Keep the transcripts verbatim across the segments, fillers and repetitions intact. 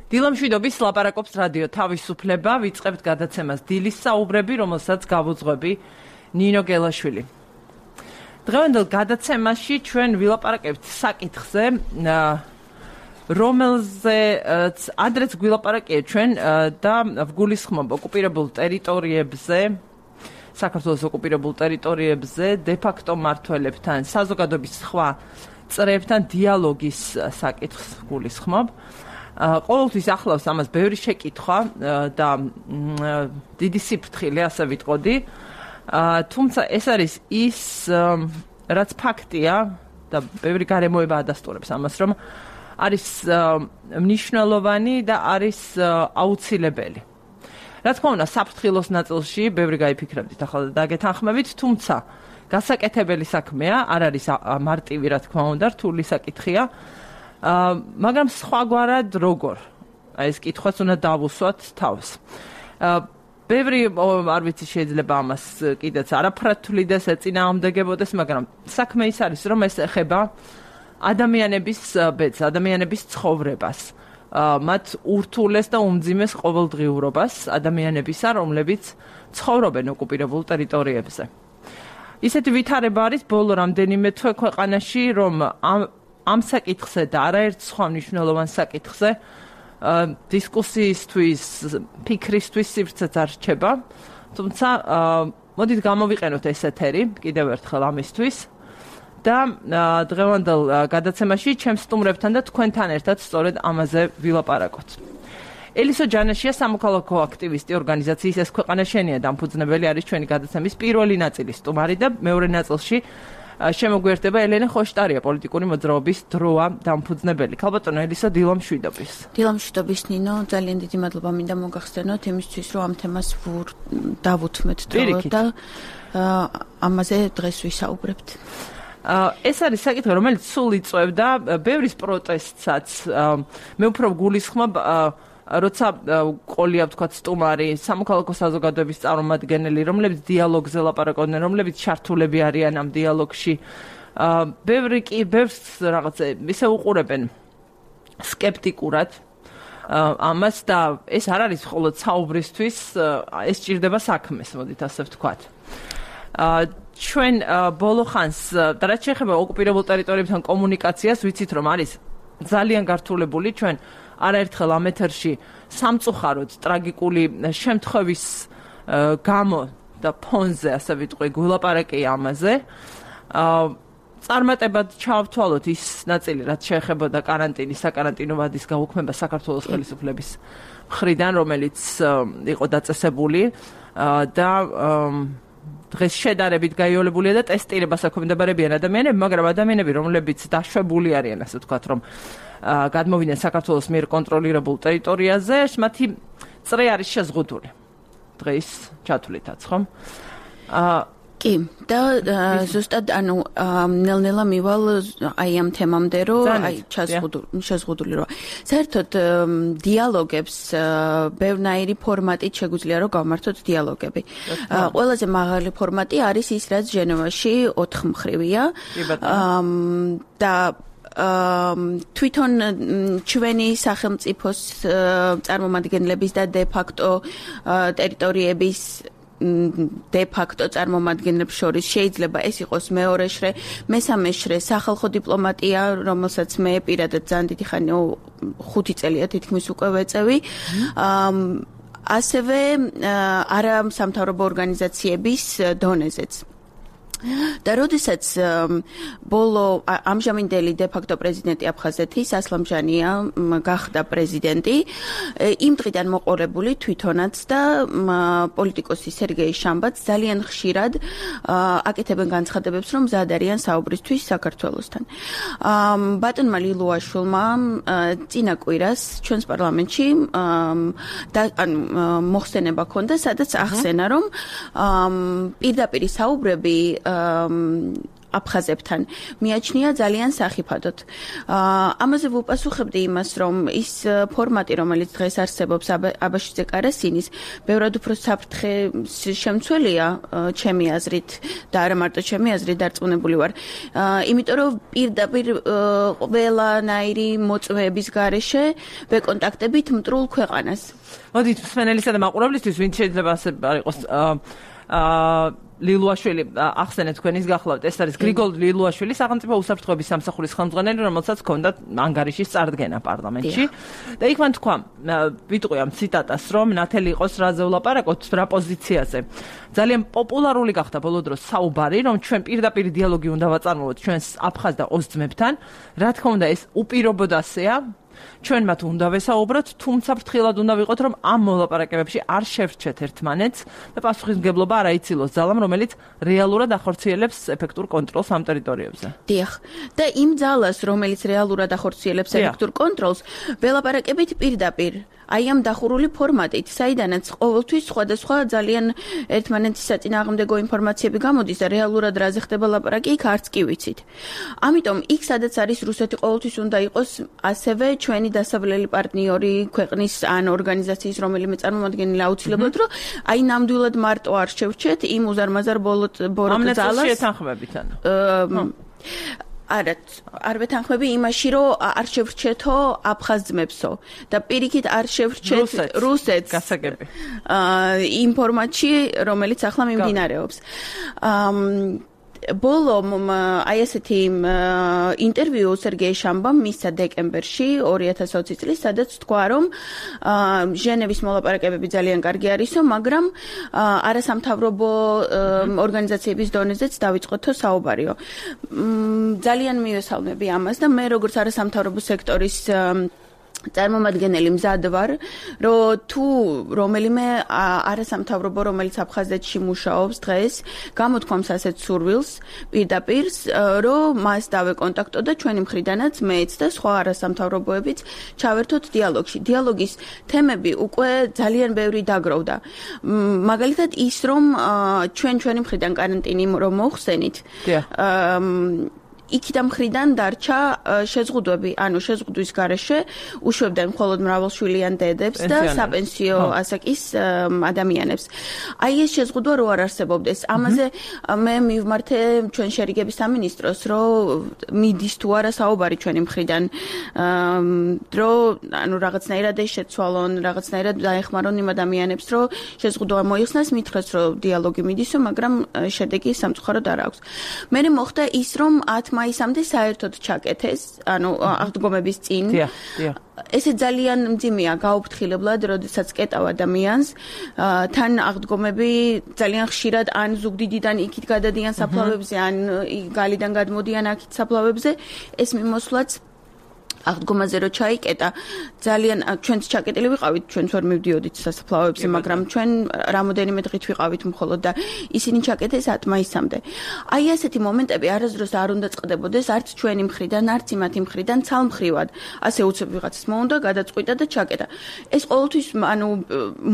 დილამშვიდობის ლაპარაკობს რადიო თავისუფლება, ვიწყებთ გადაცემას დილის საუბრები, რომელსაც გავუძღვები ნინო გელაშვილი. დღევანდელ გადაცემაში ჩვენ ვილაპარაკებთ საკითხზე, რომელზეც ადრეც გვილაპარაკია ჩვენ და ვგულისხმობ ოკუპირებულ ტერიტორიებზე, საქართველოს ოკუპირებულ ტერიტორიებზე დე-ფაქტო მმართველებთან, საზოგადოების სხვა წრეებთან დიალოგის საკითხს გულისხმობ. ყოველთვის ახლავს ამას ბევრი შეკითხვა და დიდი სიფრთხილე, ასე ვიტყოდი. თუმცა ეს არის ის, რაც ფაქტია და ბევრი გარემოება ადასტურებს ამას, რომ არის მნიშვნელოვანი და არის აუცილებელი. რა თქმა უნდა, საფრთხილოს ნაწილში ბევრი გაიფიქრებდით ახლა და დაგეთანხმებით, თუმცა გასაკეთებელი საქმეა, არ არის მარტივი, რა თქმა უნდა, რთული საკითხია. მაგრამ სხვაგვარად როგორ? აი ეს კითხვაც უნდა დავუსვათ თავს. ბევრი არ ვიცი შეიძლება ამას კიდეც არაფრად თვლიდეს, ეწინააღმდეგებოდეს, მაგრამ საქმე ის არის, რომ ეს ეხება ადამიანების ბედს, ადამიანების ცხოვრებას, მათ ურთულეს და უმძიმეს ყოველდღიურობას ადამიანებისა, რომლებიც ცხოვრობენ ოკუპირებულ ტერიტორიებზე. ისეთი ვითარება არის ბოლო რამდენიმე თვე ქვეყანაში, რომ ამ ამ საკითხზე და არაერთ სხვა მნიშვნელოვან საკითხზე დისკუსიისთვის, ფიქრისთვის სივრცეც არ რჩება. თუმცა მოდით გამოვიყენოთ ეს ეთერი კიდევ ერთხელ ამისთვის და დღევანდელ გადაცემაში ჩემს სტუმრებთან და თქვენთან ერთად სწორედ ამაზე ვილაპარაკოთ. ელისო ჯანაშია სამოქალაქო აქტივისტი ორგანიზაციის ეს ქვეყანა შენია დამფუძნებელი არის ჩვენი გადაცემის პირველი ნაწილის სტუმარი და მეორე ნაწილში შემოგვიერთდება ელენე ხოშტარია, პოლიტიკური მოძრაობის დროა დამფუძნებელი. ქალბატონო ელისო, დილამშვიდობის. დილამშვიდობის ნინო, ძალიან დიდი მადლობა მინდა მოგახსენოთ იმისთვის, რომ ამ თემას დავუთმეთ დრო და ამაზე დღეს ვისაუბრებთ. ეს არის საკითხი, რომელიც სულ იწვევდა ბევრის პროტესტსაც. მე უფრო გულისხმობ როცა ყოლია ვთქვათ სტუმარი, სამოქალაქო საზოგადოების წარმომადგენელი, რომლებიც დიალოგზე ლაპარაკობდნენ, რომლებიც ჩართულები არიან ამ დიალოგში. ბევრი კი ბევრს რაღაცა ისე უყურებენ სკეპტიკურად ამას და ეს არ არის მხოლოდ საუბრისთვის, ეს ჭირდება საქმეს, მოდით ასე ვთქვათ. ჩვენ ბოლო ხანს და რაც შეეხება ოკუპირებულ ტერიტორიებთან კომუნიკაციას, ვიცით რომ არის ძალიან გართულებული ჩვენ არაერთხელ ამ ეთერში სამწუხაროდ ტრაგიკული შემთხვევის გამო და ფონზე, ასე ვიტყვი, გულაპარაკია ამაზე. წარმატებად ჩავთვალოთ ის ნაწილი, რაც შეეხებოდა კარანტინის, საკარანტინო ვადის გაუქმება საქართველოს ხელისუფლების მხრიდან, რომელიც იყო დაწესებული და დღეს შედარებით გაიოლებულია და ტესტირებას აქვემდებარებიან ადამიანები, მაგრამ ადამიანები, რომლებიც დაშვებული არიან, ასე ვთქვათ, რომ გადმოვიდნენ საქართველოს მიერ კონტროლირებულ ტერიტორიაზე, მათი წრე არის შეზღუდული. დღეს ჩათვლითაც, ხომ? კი, და ზუსტად ანუ ნელ-ნელა მივალ აი ამ თემამდე, რომ აი შეზღუდული რა. საერთოდ დიალოგებს ბევრნაირი ფორმატით შეგვიძლია რომ გავმართოთ დიალოგები. ყველაზე მაღალი ფორმატი არის ის, რაც ჟენევაში ოთხმხრივია. და თვითონ ჩვენი სახელმწიფოს წარმომადგენლების და დე-ფაქტო ტერიტორიების დე-ფაქტო წარმომადგენლებს შორის შეიძლება ეს იყოს მეორე შრე, მესამე შრე სახალხო დიპლომატია, რომელსაც მე პირადად ძალიან დიდი ხანი ხუთი წელია თითქმის უკვე ვეწევი. ასევე არასამთავრობო ორგანიზაციების დონეზეც. და როდესაც ბოლო ამჟამინდელი დე-ფაქტო პრეზიდენტი აფხაზეთის ასლამ ჟანია გახდა პრეზიდენტი, იმ დღიდან მოყოლებული თვითონაც და პოლიტიკოსი სერგეი შამბაც ძალიან ხშირად აკეთებენ განცხადებებს, რომ მზად არიან საუბრისთვის საქართველოსთან. ბატონმა ლილუაშვილმა წინა კვირას ჩვენს პარლამენტში მოხსენება ჰქონდა, სადაც ახსენა, რომ პირდაპირი საუბრები აფხაზებთან მიაჩნია ძალიან სახიფათოდ. ამაზე ვუპასუხებდი იმას, რომ ის ფორმატი, რომელიც დღეს არსებობს აბაშიძე კარასინის, ბევრად უფრო საფრთხე შემცველია ჩემი აზრით და არა მარტო ჩემი აზრით დარწმუნებული ვარ. იმიტომ რომ პირდაპირ ყველანაირი მოწმეების გარეშე ბეკონტაქტებით მტრულ ქვეყანას. მოდით მსმენელისა და მაყურებლისთვის, ვინც შეიძლება ასე არ იყოს აა ლილუაშვილი ახსენეთ თქვენის გახლავთ. ეს არის გრიგოლ ლილუაშვილი, სახელმწიფო უსაფრთხოების სამსახურის ხელმძღვანელი, რომელსაც ჰქონდა ანგარიშის წარდგენა პარლამენტში. და იქ მან თქვა, ვიტყვი ამ ციტატას, რომ ნათელი იყოს რაზე ვლაპარაკოთ, რა პოზიციაზე. ძალიან პოპულარული გახდა ბოლო დროს საუბარი, რომ ჩვენ პირდაპირ დიალოგი უნდა ვაწარმოოთ ჩვენს აფხაზ და ოს ძმებთან. რა თქმა უნდა, ეს უპირობოდ ასეა. ჩვენ მათ უნდა ვესაუბროთ, თუმცა ფრთხილად უნდა ვიყოთ, რომ ამ მოლაპარაკებებში არ შევრჩეთ ერთმანეთს და პასუხისმგებლობა არ აიცილოს ძალამ, რომელიც რეალურად ახორციელებს ეფექტურ კონტროლს ამ ტერიტორიებზე. დიახ. და იმ ძალას, რომელიც რეალურად ახორციელებს ეფექტურ კონტროლს, ველაპარაკებით პირდაპირ. აი ამ დახურული ფორმატით, საიდანაც ყოველთვის სხვადასხვა ძალიან ერთმანეთის საწინააღმდეგო ინფორმაციები გამოდის და რეალურად რაზე ხდება ლაპარაკი, იქ არც კი ვიცით. ამიტომ იქ სადაც არის რუსეთი ყოველთვის უნდა იყოს ასევე ჩვენი დასავლელი პარტნიორი ქვეყნის ან ორგანიზაციის რომელიმე წარმომადგენელი აუცილებლად, რომ აი ნამდვილად მარტო არ შევრჩეთ იმ უზარმაზარ ბოროტ ძალას. ამ ნაწილში ეთანხმებით ანუ. არა, არ ვეთანხმები იმაში, რომ არ შევრჩეთო აფხაზ ძმებსო და პირიქით არ შევრჩეთ რუსეთს. გასაგები. იმ ფორმატში, რომელიც ახლა მიმდინარეობს. ბოლო აი ესეთი ინტერვიუ სერგეი შამბამ მისცა დეკემბერში ორი ათას ოცი წლის, სადაც თქვა, რომ ჟენევის მოლაპარაკებები ძალიან კარგი არისო, მაგრამ არასამთავრობო ორგანიზაციების დონეზეც დავიწყოთო საუბარიო. ძალიან მივესალმები ამას და მე როგორც არასამთავრობო სექტორის წარმომადგენელი მზად ვარ, რომ თუ რომელიმე არასამთავრობო, რომელიც აფხაზეთში მუშაობს დღეს, გამოთქვამს ასეთ სურვილს პირდაპირ, რომ მას დავეკონტაქტო და ჩვენი მხრიდანაც მეც და სხვა არასამთავრობოებიც ჩავერთოთ დიალოგში. დიალოგის თემები უკვე ძალიან ბევრი დაგროვდა. მაგალითად ის, რომ ჩვენ ჩვენი მხრიდან კარანტინი რომ მოხსენით, იქიდან მხრიდან დარჩა შეზღუდვები, ანუ შეზღუდვის გარეშე უშვებდნენ მხოლოდ მრავალშვილიან დედებს და საპენსიო ასაკის ადამიანებს. აი ეს შეზღუდვა რო არ არსებობდეს, ამაზე მე მივმართე ჩვენ შერიგების სამინისტროს, რომ მიდის თუ არა საუბარი ჩვენი მხრიდან, რომ ანუ რაღაცნაირად ეს შეცვალონ, რაღაცნაირად დაეხმარონ იმ ადამიანებს, რომ შეზღუდვა მოიხსნას, მითხრეს, რომ დიალოგი მიდისო, მაგრამ შედეგი სამწუხაროდ არ აქვს. მე მოხდა ის, რომ ათ მაისამდე საერთოდ ჩაკეთეს, ანუ აღდგომების წინ. ესე ძალიან მძიმეა გაუფრთხილებლად, როდესაც კეტავ ადამიანს, თან აღდგომები ძალიან ხშირად ან ზუგდიდიდან იქით გადადიან საფლავებზე, ან გალიდან გადმოდიან აქეთ საფლავებზე, ეს მიმოსვლაც აღდგომაზე რო ჩაიკეტა, ძალიან ჩვენც ჩაკეტილი ვიყავით, ჩვენც ვერ მივდიოდით სასაფლავებზე, მაგრამ ჩვენ რამოდენიმე დღით ვიყავით მხოლოდ და ისინი ჩაკეტეს ათ მაისამდე. აი ასეთი მომენტები არასდროს არ უნდა წყდებოდეს, არც ჩვენი მხრიდან, არც იმათი მხრიდან ცალმხრივად. ასე უცებ ვიღაცას მოუნდა, გადაწყვიტა და ჩაკეტა. ეს ყოველთვის ანუ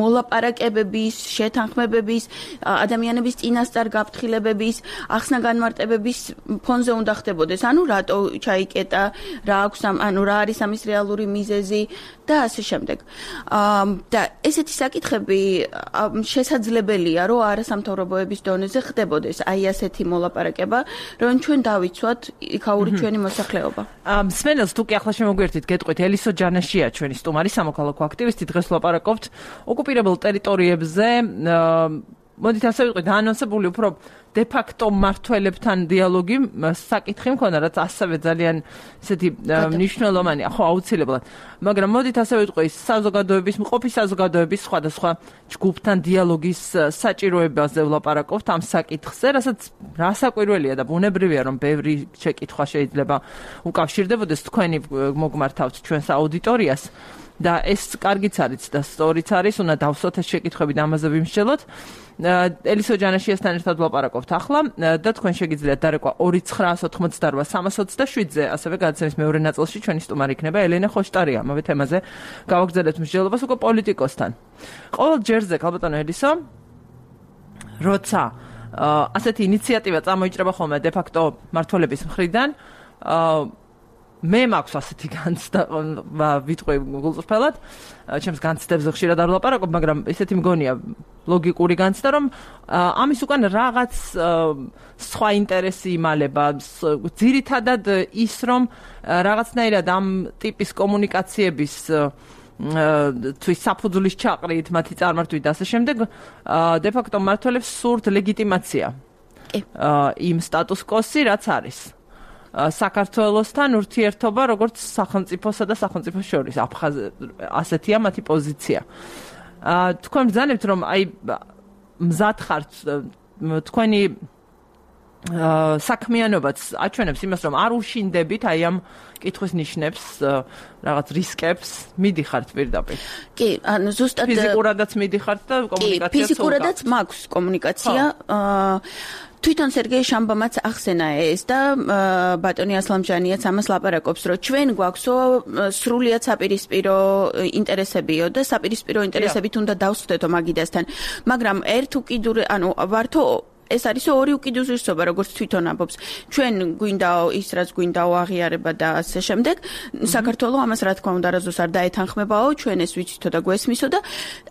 მოლაპარაკებების, შეთანხმებების, ადამიანების წინასწარ გაფრთხილებების, ახსნა განმარტებების ფონზე უნდა ხდებოდეს. ანუ რატო ჩაიკეტა, რა აქვს ამ ანუ რა არის ამის რეალური მიზეზი და ასე შემდეგ. და ესეთი საკითხები შესაძლებელია, რომ არასამთავრობოების დონეზე ხდებოდეს აი ასეთი მოლაპარაკება, რომ ჩვენ დავიცვათ იქაური ჩვენი მოსახლეობა. მსმენელს თუ კი ახლა შემოგვერთით, გეტყვით, ელისო ჯანაშია ჩვენი სტუმარი, სამოქალაქო აქტივისტი, დღეს ვლაპარაკობთ ოკუპირებულ ტერიტორიებზე. მოდით ასე ვიტყვით, დაანონსებული უფრო დე-ფაქტო მმართველებთან დიალოგი საკითხი მქონდა, რაც ასევე ძალიან ესეთი მნიშვნელოვანია, ხო, აუცილებლად. მაგრამ მოდით ასე ვიტყვით, საზოგადოების, მყოფი საზოგადოების სხვადასხვა ჯგუფთან დიალოგის საჭიროებაზე ვლაპარაკობთ ამ საკითხზე, რასაც რასაკვირველია და ბუნებრივია, რომ ბევრი შეკითხვა შეიძლება უკავშირდებოდეს, თქვენი მოგმართავთ ჩვენს აუდიტორიას. და ეს კარგიც არის და სწორიც არის, უნდა დავსვათ ეს შეკითხვები და ამაზე ვიმსჯელოთ. ელისო ჯანაშიასთან ერთად ვლაპარაკობთ ახლა და თქვენ შეგიძლიათ დარეკვა ორი ცხრაას ოთხმოცდარვა სამას ოცდაშვიდზე, ასევე გადაცემის მეორე ნაწილში ჩვენი სტუმარი იქნება ელენე ხოშტარია. ამავე თემაზე გავაგრძელებთ მსჯელობას უკვე პოლიტიკოსთან. ყოველ ჯერზე, ქალბატონო ელისო, როცა ასეთი ინიციატივა წამოიჭრება ხოლმე de facto მართველების მხრიდან. მე მაქვს ასეთი განცდა ვიტყვი გულწრფელად, ჩემს განცდებზე ხშირად არ ვლაპარაკობ, მაგრამ ესეთი მგონია ლოგიკური განცდა, რომ ამის უკან რაღაც სხვა ინტერესი იმალება, ძირითადად ის, რომ რაღაცნაირად ამ ტიპის კომუნიკაციების თვის საფუძვლის ჩაყრით, მათი წარმართვით და ასე შემდეგ, de facto მმართველებს სურთ ლეგიტიმაცია იმ სტატუს კოსი, რაც არის. საქართველოსთან ურთიერთობა როგორც სახელმწიფოსა და სახელმწიფოს შორის ასეთია მათი პოზიცია. თქვენ ბრძანებთ რომ აი მზად ხართ თქვენი საქმიანობაც აჩვენებს იმას რომ არ უშინდებით აი ამ კითხვის ნიშნებს რაღაც რისკებს მიდიხართ პირდაპირ. კი, ანუ ზუსტად ფიზიკურადაც მიდიხართ და კომუნიკაციაც კი, ფიზიკურადაც მაქვს კომუნიკაცია. თვითონ სერგეი შამბამაც ახსენა ეს და ბატონი ასლამჯანიაც ამას ლაპარაკობს, რომ ჩვენ გვაქვსო სრულიად საპირისპირო ინტერესებიო და საპირისპირო ინტერესებით უნდა დავსვდეთო მაგიდასთან. მაგრამ ერთ უკიდურე, ანუ ვართო ეს არის ორი უკიდურესობა, როგორც თვითონ ამბობს. ჩვენ გვინდაო ის, რაც გვინდაო აღიარება და ასე შემდეგ. საქართველოს ამას რა თქმა უნდა არასდროს არ დაეთანხმებაო, ჩვენ ეს ვიცითო და გვესმისო და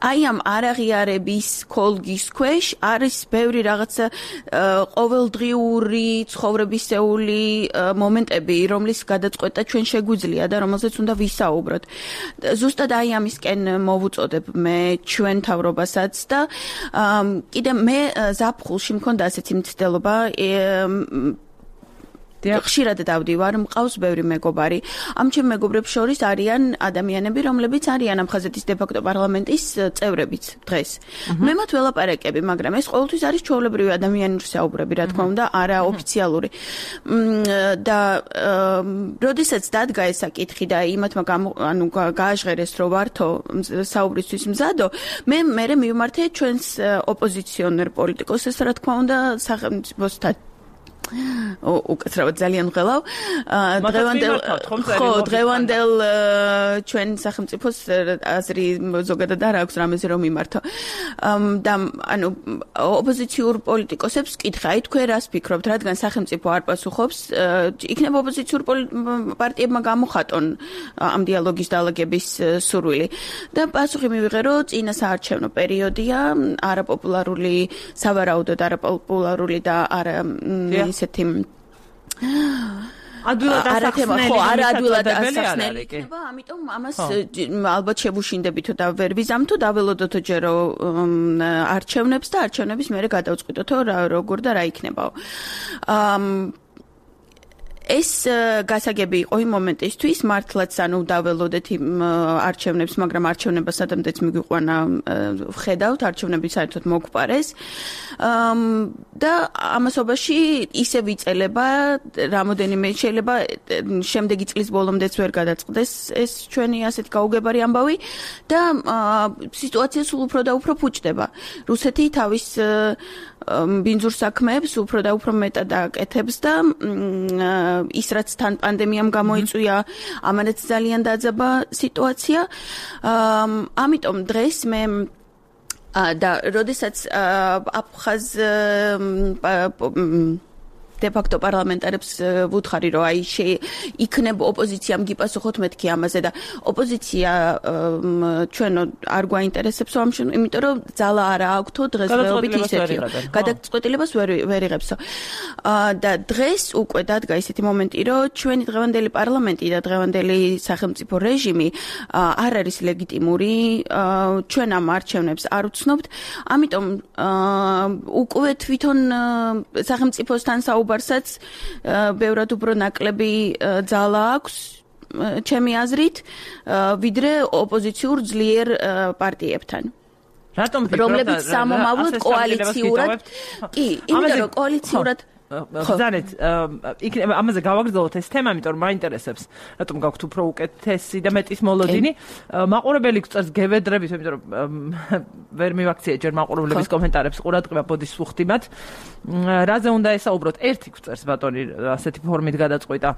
აი ამ არაღიარების კოლგის ქვეშ არის ბევრი რაღაცა ყოველდღიური ცხოვრებისეული მომენტები, რომლის გადაწყვეტა ჩვენ შეგვიძლია და რომელზეც უნდა ვისაუბროთ. ზუსტად აი ამისკენ მოვუწოდებ მე ჩვენ თავრობასაც და კიდე მე ზაფხულში მქონდა ასეთი მცდელობა ხშირად დავდივარ, მყავს ბევრი მეგობარი. ამ ჩემ მეგობრებს შორის არიან ადამიანები, რომლებიც არიან ამ ხაზეთის de facto პარლამენტის წევრებიც დღეს. მე მათ ველაპარაკები, მაგრამ ეს ყოველთვის არის ჩვეულებრივი ადამიანური საუბრები, რა თქმა უნდა, არა ოფიციალური. და როდესაც დადგა ეს საკითხი და იმათმა ანუ გააჟღერეს, რომ ვართო საუბრისთვის მზადო, მე მერე მივმართე ჩვენს ოპოზიციონერ პოლიტიკოსებს, რა თქმა უნდა, სახელმწიფოსთან უკაცრავად ძალიან ღელავ დღევანდელ ხო დღევანდელ ჩვენ სახელმწიფოს აზრი ზოგადად არ აქვს რამეზე რომ მიმართო და ანუ ოპოზიციურ პოლიტიკოსებს კითხა აი თქვენ რას ფიქრობთ რადგან სახელმწიფო არ პასუხობს იქნება ოპოზიციურ პარტიებმა გამოხატონ ამ დიალოგის დაალაგების სურვილი და პასუხი მივიღე რომ წინა საარჩევნო პერიოდია არაპოპულარული სავარაუდოდ არაპოპულარული და არა ისეთი ადვილად ასახსნელი ხო არა ადვილად ასახსნელი იქნება ამიტომ ამას ალბათ შევუშინდებითო და ვერ ვიზამთო დაველოდოთო ჯერო არჩევნებს და არჩევნების მერე გადავწყვიტოთო როგორ და რა იქნებაო ეს გასაგები იყო იმ მომენტისთვის მართლაც ანუ დაველოდეთ იმ არჩევნებს მაგრამ არჩევნება სადამდეც მიგვიყვანა ვხედავთ არჩევნები საერთოდ მოგვპარეს და ამასობაში ისე ვიწელება რამოდენიმე შეიძლება შემდეგი წლის ბოლომდეც ვერ გადაწყდეს ეს ჩვენი ასეთ გაუგებარი ამბავი და სიტუაცია სულ უფრო და უფრო ფუჭდება რუსეთი თავის ბინძურ საქმეებს უფრო და უფრო მეტად აკეთებს და ის რაც თან პანდემიამ გამოიწვია ამანაც ძალიან დაძაბა სიტუაცია ამიტომ დღეს მე და როდესაც აფხაზ de facto პარლამენტარებს ვუთხარი რომ აი იქნება ოპოზიციამ გიპასუხოთ მეთქი ამაზე და ოპოზიცია ჩვენ არ გვაინტერესებსო ამ შემთხვევაში იმიტომ რომ ძალა არა აქვთო დღესდღეობით ისეთი გადაწყვეტილებას ვერ ვერ იღებსო და დღეს უკვე დადგა ისეთი მომენტი რომ ჩვენი დღევანდელი პარლამენტი და დღევანდელი სახელმწიფო რეჟიმი არ არის ლეგიტიმური ჩვენ ამ არჩევნებს არ ვცნობთ ამიტომ უკვე თვითონ სახელმწიფოსთან საუბარ ბარსაც ბევრად უფრო ნაკლები ძალა აქვს ჩემი აზრით ვიდრე ოპოზიციურ ძლიერ პარტიებთან რატომ რომლებიც სამომავლოდ კოალიციურად კი იმიტომ რომ კოალიციურად ხზანეთ იქნება ამაზე გავაგრძელოთ ეს თემა იმიტომ რომ მაინტერესებს რატომ გაქვთ უფრო უკეთესი და მეტის მოლოდინი მაყურებელი გწერს გევედრებით იმიტომ რომ ვერ მივაქციე ჯერ მაყურებლების კომენტარებს ყურადღება ბოდის ვუხდიმათ რაზე უნდა ესაუბროთ ერთი გწერს ბატონი ასეთი ფორმით გადაწყვიტა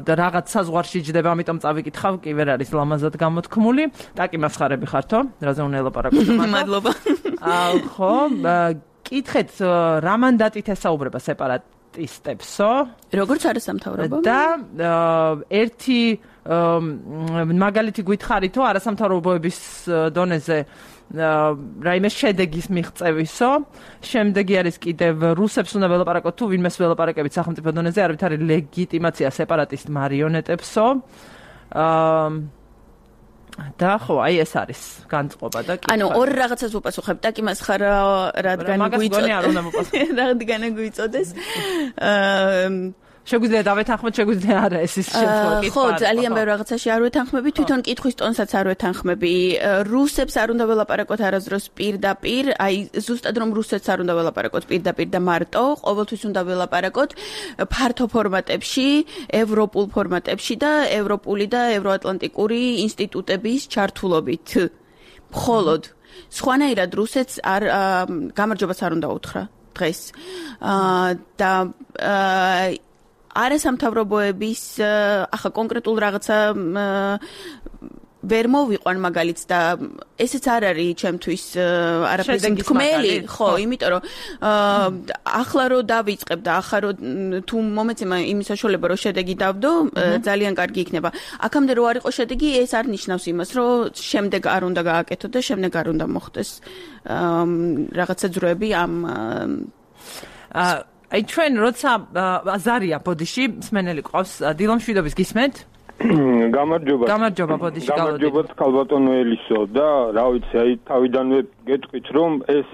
და რაღაც საზღვარში ჯდება ამიტომ წავიკითხავ კი ვერ არის ლამაზად გამოთქმული ტაკი მასხარები ხართო რაზე უნდა ელაპარაკოთ მადლობა ხო კითხეთ რა მანდატით ესაუბრება სეპარატისტებსო? როგორც არასამთავრობო? და ერთი მაგალითი გითხარითო არასამთავრობოების დონეზე რაიმე შედეგის მიღწევისო, შემდეგი არის კიდევ რუსებს უნდა ველაპარაკოთ თუ ვინმეს ველაპარაკებით სახელმწიფო დონეზე, არავითარი ლეგიტიმაცია სეპარატისტ მარიონეტებსო. და ხო, აი ეს არის განწყობა და კითხვა. ანუ ორ რაღაცას ვუპასუხებ, ტაკი მას ხარ რადგან გვიწოდეს. რადგან გვიწოდეს. აა შეგვიძლია დავეთანხმოთ, შეგვიძლია არა ეს ის შემთხვევა კითხვა. ხო, ძალიან ბევრ რაღაცაში არ ვეთანხმები, თვითონ კითხვის ტონსაც არ ვეთანხმები. რუსებს არ უნდა ველაპარაკოთ არასდროს პირდაპირ, აი ზუსტად რომ რუსეთს არ უნდა ველაპარაკოთ პირდაპირ და მარტო, ყოველთვის უნდა ველაპარაკოთ ფართო ფორმატებში, ევროპულ ფორმატებში და ევროპული და ევროატლანტიკური ინსტიტუტების ჩართულობით. მხოლოდ სხვანაირად რუსეთს არ გამარჯვებას არ უნდა უთხრა დღეს. და არასამთავრობოების ახლა კონკრეტულ რაღაცა ვერ მოვიყვან მაგალითს და ესეც არ არის ჩემთვის არაფერს თქმელი, ხო, იმიტომ რომ ახლა რო დავიწყებ და ახლა რო თუ მომეცემა იმის საშუალება რომ შედეგი დავდო, ძალიან კარგი იქნება. აქამდე რო არ იყო შედეგი, ეს არ ნიშნავს იმას, რომ შემდეგ არ უნდა გააკეთო და შემდეგ არ უნდა მოხდეს რაღაცა ძროები ამ აი ჩვენ როცა ზარია ბოდიში მსმენელი ყავს დილომშვიდობის გისმენთ? გამარჯობა. გამარჯობა ბოდიში გალოდი. გამარჯობა ქალბატონო ელისო და რა ვიცი აი თავიდანვე გეტყვით რომ ეს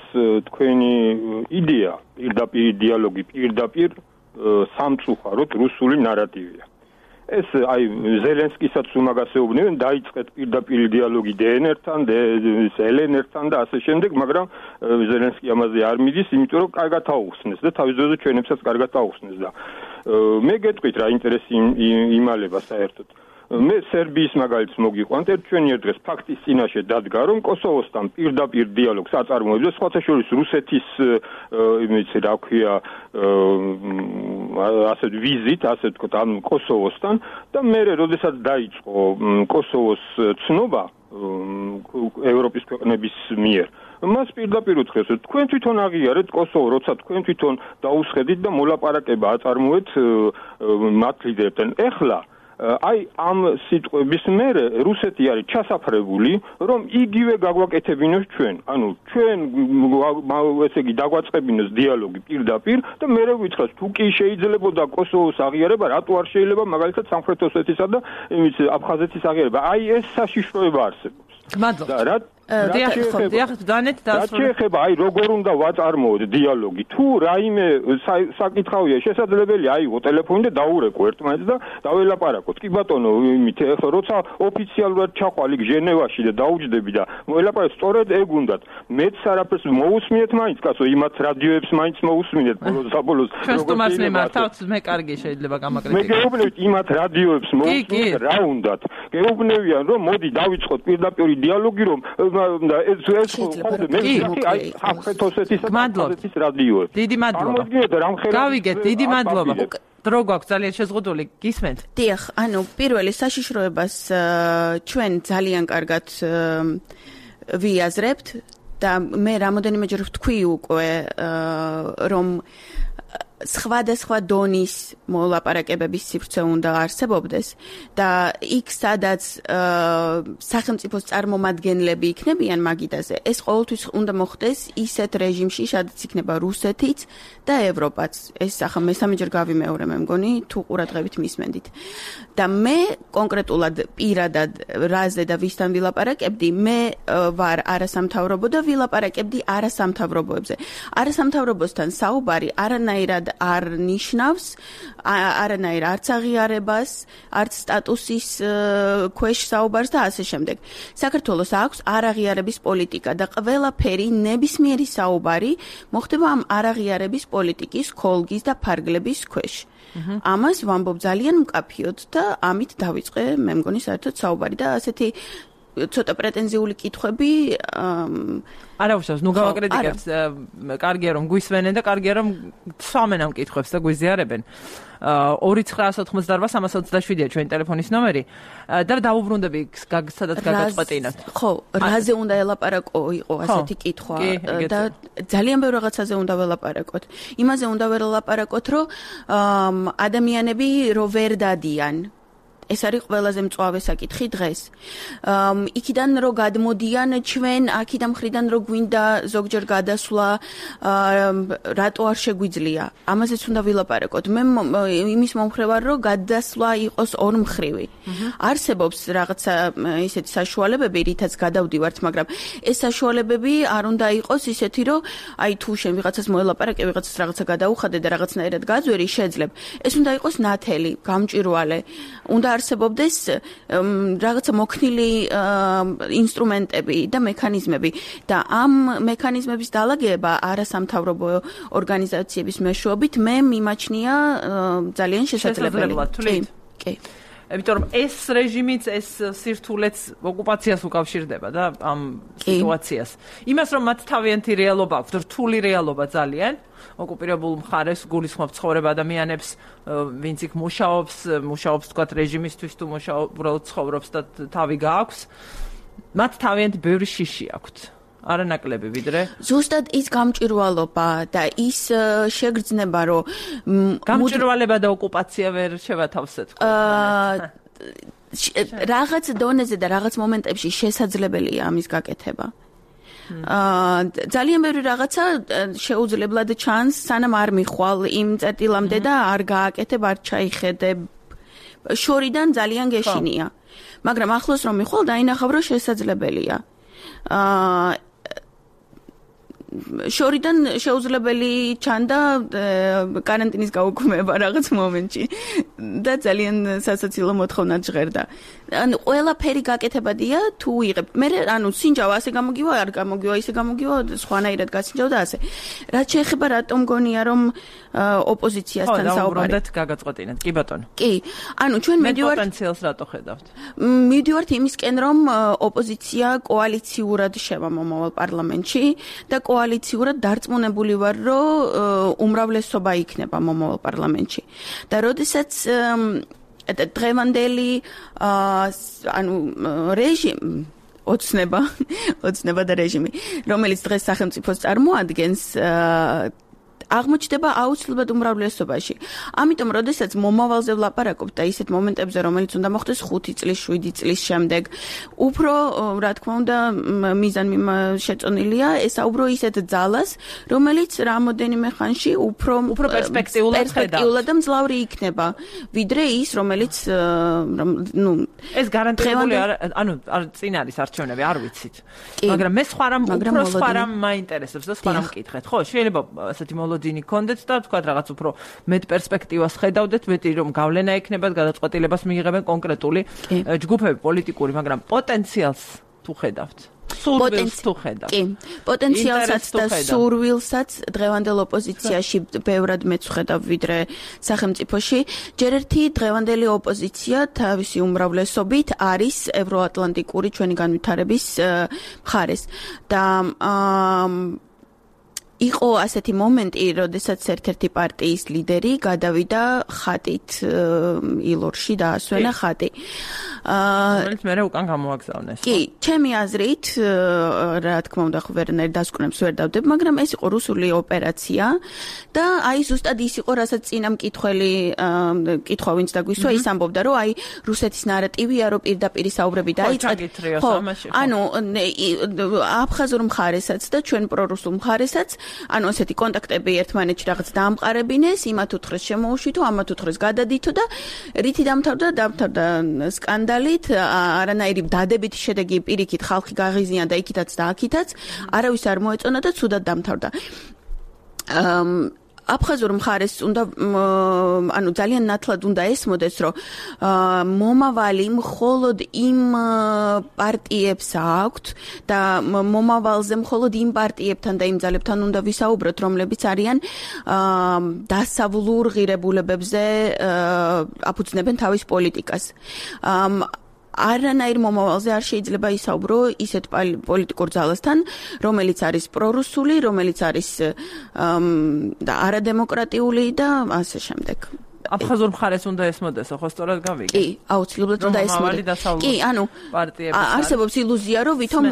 თქვენი იდეა პირდაპირ დიალოგი პირდაპირ სამწუხაროდ რუსული ნარატივია. ეს აი ზელენსკისაც უმაგასეუბნებენ დაიწყეთ პირდაპირ დიალოგი დე ენ ერთან, ელ ენ ერთან და ასე შემდეგ, მაგრამ ზელენსკი ამაზე არ მიდის, იმიტომ რომ კარგად აუხსნეს და თავის დროზე ჩვენებსაც კარგად აუხსნეს და მე გეტყვით რა ინტერესი იმალება საერთოდ. მე სერბიის მაგალითს მოგიყვანთ, ერთ ჩვენიერ დღეს ფაქტის წინაშე დადგა, რომ კოსოვოსთან პირდაპირ დიალოგს აწარმოებს და სხვათა შორის რუსეთის იმეცი რა ქვია ასე ვიზით, ასე ვთქვათ, ამ კოსოვოსთან და მე როდესაც დაიწყო კოსოვოს ცნობა ევროპის ქვეყნების მიერ მას პირდაპირ უთხრეს, რომ თქვენ თვითონ აღიარეთ კოსოვო, როცა თქვენ თვითონ დაუსხედით და მოლაპარაკება აწარმოეთ მათ ლიდერებთან. ეხლა აი ამ სიტყვების მერე რუსეთი არის ჩასაფრებული, რომ იგივე გაგვაკეთებინოს ჩვენ. ანუ ჩვენ ესე იგი დაგვაწყებინოს დიალოგი პირდაპირ და მერე ვიწყოს თუ კი შეიძლებოდა კოსოვოს აღიარება, რატო არ შეიძლება მაგალითად სამხრეთ ოსეთისა და იმის აფხაზეთის აღიარება. აი ეს საშიშროება არსებობს. მადლობა. და რა დიახ, ხო, დიახ, დანეთ დასრულდა. რა შეიძლება აი როგორ უნდა ვაწარმოოთ დიალოგი? თუ რაიმე საკითხავია შესაძლებელი აიღო ტელეფონი და დაურეკო ერთმანეთს და დაველაპარაკოთ. კი ბატონო, იმით ეხლა როცა ოფიციალურად ჩახვალ იქ ჟენევაში და დაუჯდები და მოელაპარაკეთ, სწორედ ეგ უნდათ. მეც არაფერს მოусმინეთ მაინც, კაცო, იმათ რადიოებს მაინც მოусმინეთ ბოლოს საბოლოოს. ჩვენ სტუმარს მიმართავთ, მე კარგი შეიძლება გამაკრიტიკო. მე გეუბნებით იმათ რადიოებს მოусმინეთ, რა უნდათ. გეუბნებიან რომ მოდი დავიწყოთ პირდაპირ დიალოგი რომ და ეს ეს ხომ მე აი სამხრეთ ოსეთის და აფხაზეთის რადიოებს. დიდი მადლობა. გავიგეთ, დიდი მადლობა. დრო გვაქვს ძალიან შეზღუდული, გისმენთ? დიახ, ანუ პირველი საშიშროებას ჩვენ ძალიან კარგად ვიაზრებთ და მე რამოდენიმეჯერ ვთქვი უკვე რომ სხვადასხვა დონის მოლაპარაკებების სივრცე უნდა არსებობდეს და იქ სადაც სახელმწიფოს წარმომადგენლები იქნებიან მაგიდაზე, ეს ყოველთვის უნდა მოხდეს ისეთ რეჟიმში, სადაც იქნება რუსეთიც და ევროპაც. ეს ახლა მესამეჯერ გავიმეორე, მე მგონი, თუ ყურადღებით მისმენდით. და მე კონკრეტულად პირადად რაზე და ვისთან ვილაპარაკებდი, მე ვარ არასამთავრობო და ვილაპარაკებდი არასამთავრობოებზე. არასამთავრობოსთან საუბარი არანაირად არ ნიშნავს არანაირ არც აღიარებას, არც სტატუსის ქვეშ საუბარს და ასე შემდეგ. საქართველოს აქვს არაღიარების პოლიტიკა და ყველაფერი ნებისმიერი საუბარი მოხდება ამ არაღიარების პოლიტიკის ქოლგის და ფარგლების ქვეშ. ამას ვამბობ ძალიან მკაფიოდ და ამით დავიწყე, მე მგონი საერთოდ საუბარი და ასეთი ცოტა პრეტენზიული კითხვები არა უშავს, ნუ გავაკრიტიკებთ, კარგია რომ გვისმენენ და კარგია რომ სვამენ ამ კითხვებს და გვიზიარებენ. ორი ცხრა ოთხმოცდაოთხ სამას ოცდაშვიდია ჩვენი ტელეფონის ნომერი და დაუბრუნდები სადაც გაგაწყვეტინათ. ხო, რაზე უნდა ელაპარაკო იყო ასეთი კითხვა და ძალიან ბევრ რაღაცაზე უნდა ველაპარაკოთ. იმაზე უნდა ველაპარაკოთ, რომ ადამიანები რო ვერ დადიან ეს არის ყველაზე მწვავე საკითხი დღეს. იქიდან რო გადმოდიან ჩვენ, აქიდან მხრიდან რო გვინდა ზოგჯერ გადასვლა, რატო არ შეგვიძლია? ამაზეც უნდა ვილაპარაკოთ. მე იმის მომხრე ვარ, რომ გადასვლა იყოს ორმხრივი. არსებობს რაღაცა ისეთი საშუალებები, რითაც გადავდივართ, მაგრამ ეს საშუალებები არ უნდა იყოს ისეთი, რომ აი თუ შენ ვიღაცას მოელაპარაკე, ვიღაცას რაღაცა გადაუხადე და რაღაცნაირად გაძვერი, შეძლებ. ეს უნდა იყოს ნათელი, გამჭვირვალე. უნდა არსებობდეს რაღაცა მოქნილი ინსტრუმენტები და მექანიზმები და ამ მექანიზმების დალაგება არასამთავრობო ორგანიზაციების მეშვეობით მე მიმაჩნია ძალიან შესაძლებელი. კი. იმიტომ რომ ეს რეჟიმიც ეს სირთულეც ოკუპაციას უკავშირდება და ამ სიტუაციას. იმას რომ მათ თავიანთი რეალობა აქვს, რთული რეალობა ძალიან ოკუპირებულ მხარეს გულისხმობს ცხოვრება ადამიანებს, ვინც იქ მუშაობს, მუშაობს თქვათ რეჟიმისთვის თუ მუშაობს, უბრალოდ ცხოვრობს და თავი გააქვს. მათ თავიანთი ბევრი შიში აქვთ. არანაკლები ვიდრე ზუსტად ის გამჭვირვალობა და ის შეგრძნება, რომ გამჭვირვალება და ოკუპაცია ვერ შევათავსეთ. რაღაც დონეზე და რაღაც მომენტებში შესაძლებელია ამის გაკეთება. ძალიან ბევრი რაღაცა შეუძლებლად ჩანს, სანამ არ მიხვალ იმ წერტილამდე და არ გააკეთებ, არ ჩაიხედებ. შორიდან ძალიან გეშინია. მაგრამ ახლოს რომ მიხვალ, დაინახავ, რომ შესაძლებელია. შორიდან შეუძლებელი ჩანდა კარანტინის გაუქმება რაღაც მომენტში და ძალიან სასაცილო მოთხოვნა ჟღერდა. ანუ ყველაფერი გაკეთებადია თუ იღებ. მე ანუ სინჯავა ასე გამოგივა, არ გამოგივა, ისე გამოგივა, სხვანაირად გასინჯავა და ასე. რაც შეეხება რატომ გონია რომ ოპოზიციასთან საუბარი. ხო, დაუბრუნდეთ გაგაწყვეტინეთ. კი ბატონო. კი. ანუ ჩვენ მიდივართ პოტენციალს რატო ხედავთ? მიდივართ იმისკენ რომ ოპოზიცია კოალიციურად შევა მომავალ პარლამენტში და კოალიციურად დარწმუნებული ვარ, რომ უმრავლესობა იქნება მომავალ პარლამენტში. და როდესაც დღევანდელი ანუ რეჟიმი ოცნება, ოცნება და რეჟიმი, რომელიც დღეს სახელმწიფოს წარმოადგენს, აღმოჩნდება აუცილებლად უმრავლესობაში. ამიტომ, როდესაც მომავალზე ვლაპარაკობთ და ისეთ მომენტებზე, რომელიც უნდა მოხდეს ხუთი წლის, შვიდი წლის შემდეგ, უფრო, რა თქმა უნდა, მიზანი შეწონილია ესაუბრო ისეთ ძალას, რომელიც რამოდენიმე ხანში უფრო უფრო პერსპექტიულად და მძლავრი იქნება, ვიდრე ის, რომელიც ნუ ეს გარანტირებული ანუ არ წინ არის არჩევნები, არ ვიცით. მაგრამ მე სხვა რამ უფრო სხვა რამ მაინტერესებს და სხვა რამ მკითხეთ. ხო, შეიძლება ასეთი მოლოდინი გქონდეთ და თქვა რაღაც უფრო მეტ პერსპექტივას ხედავდეთ, მეტი რომ გავლენა ექნებათ, გადაწყვეტილებას მიიღებენ კონკრეტული ჯგუფები პოლიტიკური, მაგრამ პოტენციალს თუ ხედავთ. სურვილს თუ ხედავთ. კი, პოტენციალსაც და სურვილსაც დღევანდელ ოპოზიციაში ბევრად მეც ვხედავ ვიდრე სახელმწიფოში. ჯერ ერთი დღევანდელი ოპოზიცია თავისი უმრავლესობით არის ევროატლანტიკური ჩვენი განვითარების მხარეს და იყო ასეთი მომენტი, როდესაც ერთ-ერთი პარტიის ლიდერი გადავიდა ხატით ილორში და ასვენა ხატი. რომელიც მე უკან გამოაგზავნეს. კი, ჩემი აზრით, რა თქმა უნდა, ვერნერ დასკვნებს ვერ დავდებ, მაგრამ ეს იყო რუსული ოპერაცია და აი ზუსტად ის იყო, რასაც წინა მკითხველი კითხვა ვინც დაგვისვა, ის ამბობდა, რომ აი რუსეთის ნარატივია, რომ პირდაპირ საუბრები დაიწყეთ. ხო, ანუ აფხაზურ მხარესაც და ჩვენ პრორუსულ მხარესაც ანუ ასეთი კონტაქტები ერთმანეთში რაღაც დაამყარებინეს, იმათ უთხრეს შემოუშვითო, ამათ უთხრეს გადადითო და რითი დამთავრდა, დამთავრდა სკანდალით, არანაირი დადებითი შედეგი პირიქით ხალხი გაღიზიანა და იქითაც და აქითაც, არავის არ მოეწონა და ცუდად დამთავრდა. აფხაზურ მხარეს უნდა ანუ ძალიან ნათლად უნდა ესმოდეს, რომ მომავალი მხოლოდ იმ პარტიებს აქვთ და მომავალზე მხოლოდ იმ პარტიებთან და იმ ძალებთან უნდა ვისაუბროთ, რომლებიც არიან დასავლურ ღირებულებებზე აფუძნებენ თავის პოლიტიკას. არანაირ მომავალზე არ შეიძლება ისაუბრო ისეთ პოლიტიკურ ძალასთან, რომელიც არის პრორუსული, რომელიც არის და არადემოკრატიული და ასე შემდეგ. აფხაზურ მხარეს უნდა ესმოდესო, ხო სწორად გავიგე? კი, აუცილებლად უნდა ესმოდე. კი, ანუ არსებობს ილუზია, რომ ვითომ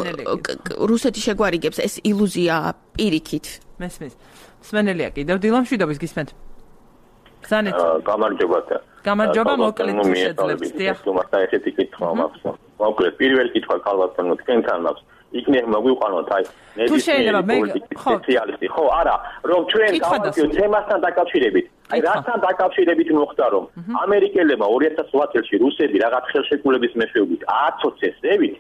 რუსეთი შეგვარიგებს, ეს ილუზია პირიქით. მესმის. მსმენელია კიდევ დილამშვიდობის გისმენთ. ბრძანეთ. გამარჯობა. გამარჯობა, მოკლედ თუ შეძლებთ. დიახ. თუმცა ესეთი კითხვა მაქვს. მოკლედ პირველი კითხვა ქალბატონო თქვენთან მაქვს. იქნებ მოგვიყვანოთ აი ნებისმიერი სპეციალისტი. ხო, არა, რომ ჩვენ გავაკეთოთ თემასთან დაკავშირებით. აი რასთან დაკავშირებით მოხდა რომ ამერიკელებმა ორი ათას ოთხ წელს რუსები რაღაც ხელშეკრულების მეშვეობით ააცოцесებით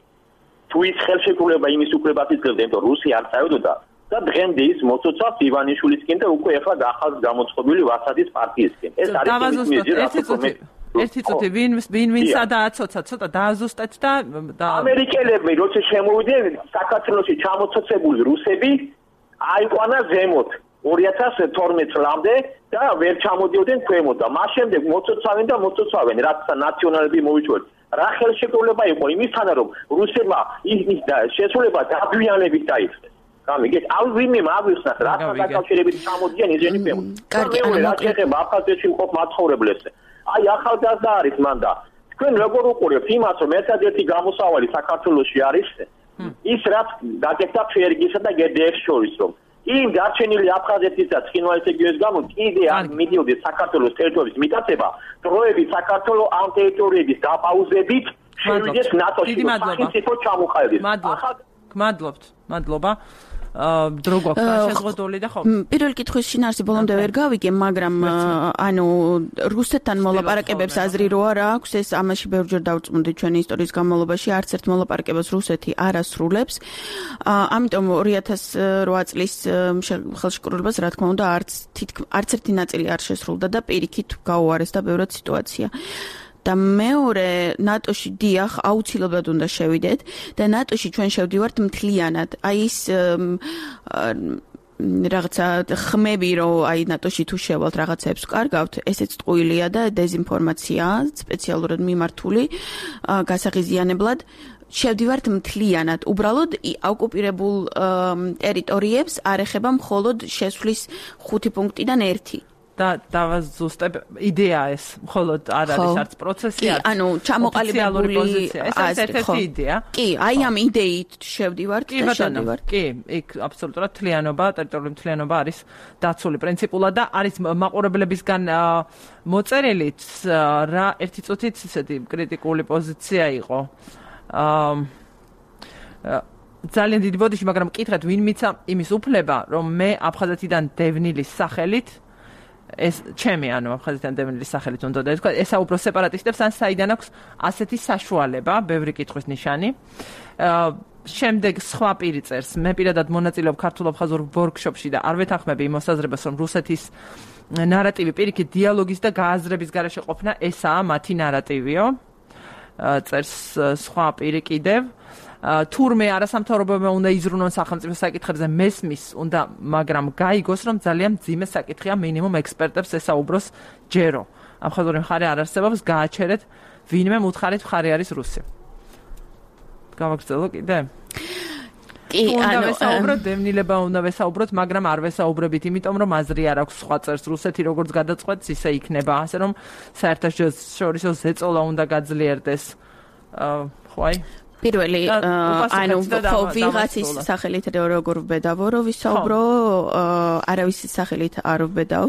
თუ ის ხელშეკრულება იმის უფლებას იძლევდა, იმიტომ რუსი არ წავედოდა და დღემდე ის მოცოცავს ივანიშვილისკენ და უკვე ახლა ახალ გამოცხობილი ვასადის პარტიისკენ. ეს არის ერთი ერთი წუთი ვინ ვინ ვინ სადააცოცა ცოტა დააზუსტეთ და ამერიკელები როცა შემოვიდნენ საქართველოში ჩამოცოცებული რუსები აიყვანა ზემოთ ორი ათას თორმეტ წლამდე და ვერ ჩამოდიოდნენ ქვემოთ და მას შემდეგ მოცოცავენ და მოცოცავენ რაც ნაციონალები მოიჭრეთ. რა ხელშეკრულება იყო იმისთანა რომ რუსებმა ის შესრულება დაგვიანებით დაიწყეს. გამიგეთ, ალ ვინმე მაგვიხსნათ რასთან დაკავშირებით ჩამოდიან ისინი ქვემოთ. კარგი, ანუ რა შეიძლება აფხაზეთში მყოფ მაცხოვრებლებს. აი ახალგაზრდა არის მან და თქვენ როგორ უყურებთ იმას რომ ერთადერთი გამოსავალი საქართველოში არის ის რაც დაგეკთა ფერგისა და გედეექს შორის რომ იმ დარჩენილი აფხაზეთის და ცხინვალის რეგიონის გამო კიდე არ მიდიოდეს საქართველოს ტერიტორიის მიტაცება დროებით საქართველოს ამ ტერიტორიების დაპაუზებით შევიდეს ნატოში სახელმწიფო ჩამოყალიბდეს. მადლობთ, მადლობა. დრო გვაქვს შეზღუდული და ხო. პირველი კითხვის შინაარსი ბოლომდე ვერ გავიგე, მაგრამ ანუ რუსეთთან მოლაპარაკებებს აზრი რო არ აქვს, ეს ამაში ბევრჯერ დავწმუნდით ჩვენი ისტორიის განმავლობაში, არც ერთ მოლაპარაკებას რუსეთი არ ასრულებს. ამიტომ ორი ათას ოთხ წლის ხელშეკრულებას რა თქმა უნდა არც არც ერთი ნაწილი არ შესრულდა და პირიქით გაუარესდა ბევრად სიტუაცია. და მეორე ნატოში დიახ აუცილებლად უნდა შევიდეთ და ნატოში ჩვენ შევდივართ მთლიანად. აი ის რაღაცა ხმები რომ აი ნატოში თუ შევალთ რაღაცებს კარგავთ, ესეც ტყუილია და დეზინფორმაციაა, სპეციალურად მიმართული გასაღიზიანებლად. შევდივართ მთლიანად. უბრალოდ ოკუპირებულ ტერიტორიებს არ ეხება მხოლოდ შესვლის ხუთი პუნქტიდან ერთი. და დავაზუსტებ იდეა ეს მხოლოდ არ არის არც პროცესი არც ანუ ჩამოყალიბებული პოზიცია ეს ერთ-ერთი იდეა კი აი ამ იდეით შევდივართ და შევდივართ კი იქ აბსოლუტურად თლიანობა ტერიტორიული თლიანობა არის დაცული პრინციპულად და არის მაყურებლებისგან მოწერილიც რა ერთი წუთით ისეთი კრიტიკული პოზიცია იყო ძალიან დიდი ბოდიში მაგრამ მკითხეთ ვინ მიცა იმის უფლება რომ მე აფხაზეთიდან დევნილის სახელით ეს ჩემი ანუ აფხაზეთიდან დევნილის სახელით უნდა და ესა უფრო სეპარატისტებს ან საიდან აქვს ასეთი საშუალება, ბევრი კითხვის ნიშანი. შემდეგ სხვა პირი წერს, მე პირადად მონაწილეობ ქართულ-აფხაზურ ვორქშოპში და არ ვეთანხმები იმ მოსაზრებას, რომ რუსეთის ნარატივი პირიქით დიალოგის და გააზრების გარეშე ყოფნა, ესაა მათი ნარატივიო. წერს სხვა პირი კიდევ. თურმე არასამთავრობოებმა უნდა იზრუნონ სახელმწიფო საკითხებზე მესმის უნდა მაგრამ გაიგოს რომ ძალიან მძიმე საკითხია მინიმუმ ექსპერტებს ესაუბროს ჯერო აფხაზური მხარე არ არსებობს გააჩერეთ ვინმე უთხარით მხარე არის რუსი გავაგრძელო კიდე კი ანუ ვესაუბროთ დევნილება უნდა ვესაუბროთ მაგრამ არ ვესაუბრებით იმიტომ რომ აზრი არ აქვს სხვა წერს რუსეთი როგორც გადაწყვეტს ისე იქნება ასე რომ საერთაშორისო ზეწოლა უნდა გაძლიერდეს ხო აი პირველი ანუ ვიღაცის სახელით როგორ ვბედავო რომ ვისაუბრო არავის სახელით არ ვბედავ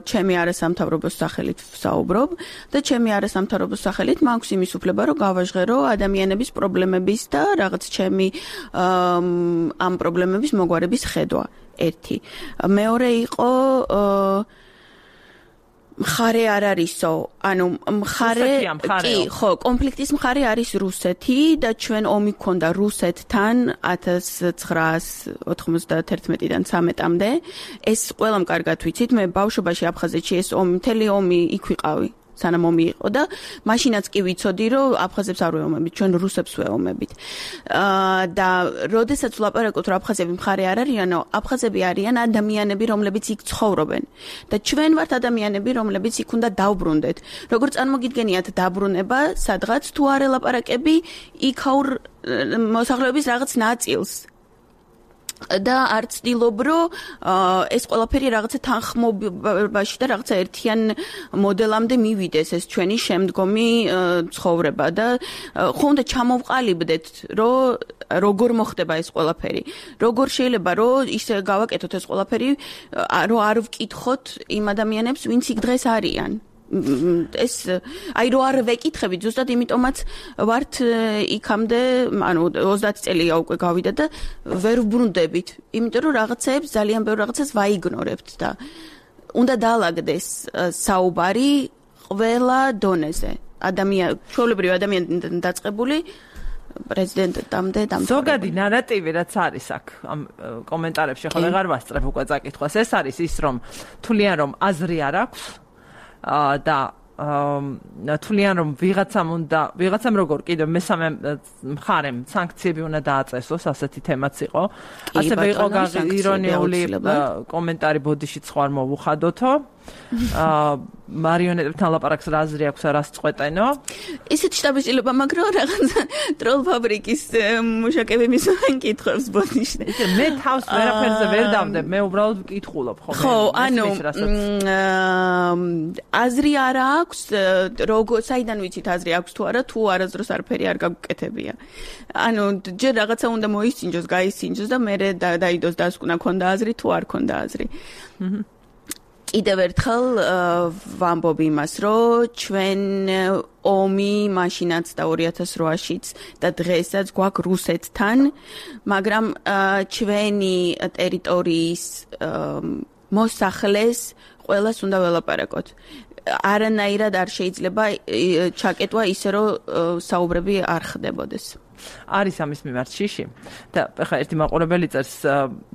ჩემი არასამთავრობოს სახელით ვსაუბრობ და ჩემი არასამთავრობოს სახელით მაქვს იმის უფლება რომ გავაჟღერო ადამიანების პრობლემების და რაღაც ჩემი ამ პრობლემების მოგვარების ხედვა ერთი მეორე იყო მხარე არ არისო, ანუ მხარე კი, ხო, კონფლიქტის მხარე არის რუსეთი და ჩვენ ომი გქონდა რუსეთთან ათას ცხრაას ოთხმოცდათერთმეტიდან ცამეტამდე. ეს ყველამ კარგად ვიცით, მე ბავშვობაში აფხაზეთში ეს ომი, მთელი ომი იქ ვიყავი. სანამ ომი იყო და მაშინაც კი ვიცოდი, რომ აფხაზებს არ ვეომებით, ჩვენ რუსებს ვეომებით. აა და როდესაც ვლაპარაკობთ, რომ აფხაზები მხარე არ არიანო, აფხაზები არიან ადამიანები, რომლებიც იქ ცხოვრობენ. და ჩვენ ვართ ადამიანები, რომლებიც იქ უნდა დავბრუნდეთ. როგორ წარმოგიდგენიათ დაბრუნება, სადღაც თუ არ ელაპარაკები იქაურ მოსახლეობის რაღაც ნაწილს. და არ ცდილობ, რომ ეს ყველაფერი რაღაცა თანხმობაში და რაღაცა ერთიან მოდელამდე მივიდეს ეს ჩვენი შემდგომი ცხოვრება და ხო უნდა ჩამოვყალიბდეთ, რომ როგორ მოხდება ეს ყველაფერი. როგორ შეიძლება, რომ ისე გავაკეთოთ ეს ყველაფერი, რომ არ ვკითხოთ იმ ადამიანებს, ვინც იქ დღეს არიან. ეს აი რო არ ვეკითხებით ზუსტად იმიტომაც ვართ იქამდე ანუ ოცდაათი წელია უკვე გავიდა და ვერ ვბრუნდებით იმიტომ რომ რაღაცებს ძალიან ბევრ რაღაცას ვაიგნორებთ და უნდა დაალაგდეს საუბარი ყველა დონეზე ადამიან ჩვეულებრივ ადამიანთან დაწყებული პრეზიდენტამდე დამთავრებული ზოგადი ნარატივი რაც არის აქ ამ კომენტარებში ხო ვეღარ ვასწრებ უკვე წაკითხვას ეს არის ის რომ თვლიან რომ აზრი არ აქვს და თვლიან რომ ვიღაცამ უნდა ვიღაცამ როგორ კიდევ მესამე მხარემ სანქციები უნდა დააწესოს ასეთი თემაც იყო ასევე იყო ირონიული კომენტარი ბოდიშიც ხო არ მოვუხადოთო მარიონეტებთან ლაპარაკს რა აზრი აქვს რას წყვეტენო ისეთ შტაბიშილობა მაგრამ რაღაც ტროლ ფაბრიკის მუშაკები მისვენ კითხვებს ბოდიშნე მე თავს ვერაფერზე ვერ დავდებ მე უბრალოდ ვკითხულობ ხო ხო ანუ აზრი არა აქვს როგორ საიდან ვიცით აზრი აქვს თუ არა თუ არასდროს არაფერი არ გაგუკეთებია ანუ ჯერ რაღაცა უნდა მოისინჯოს გაისინჯოს და მე დაიდოს დასკვნა ქონდა აზრი თუ არ ქონდა აზრი კიდევ ერთხელ ვამბობ იმას, რომ ჩვენ ომი მაშინაც და ორი ათას რვაშიც და დღესაც გვაქვს რუსეთთან, მაგრამ ჩვენი ტერიტორიის მოსახლეს ყველას უნდა ველაპარაკოთ. არანაირად არ შეიძლება ჩაკეტვა ისე, რომ საუბრები არ ხდებოდეს. არის ამის მიმართ შიში და ახლა ერთი მაყურებელი წერს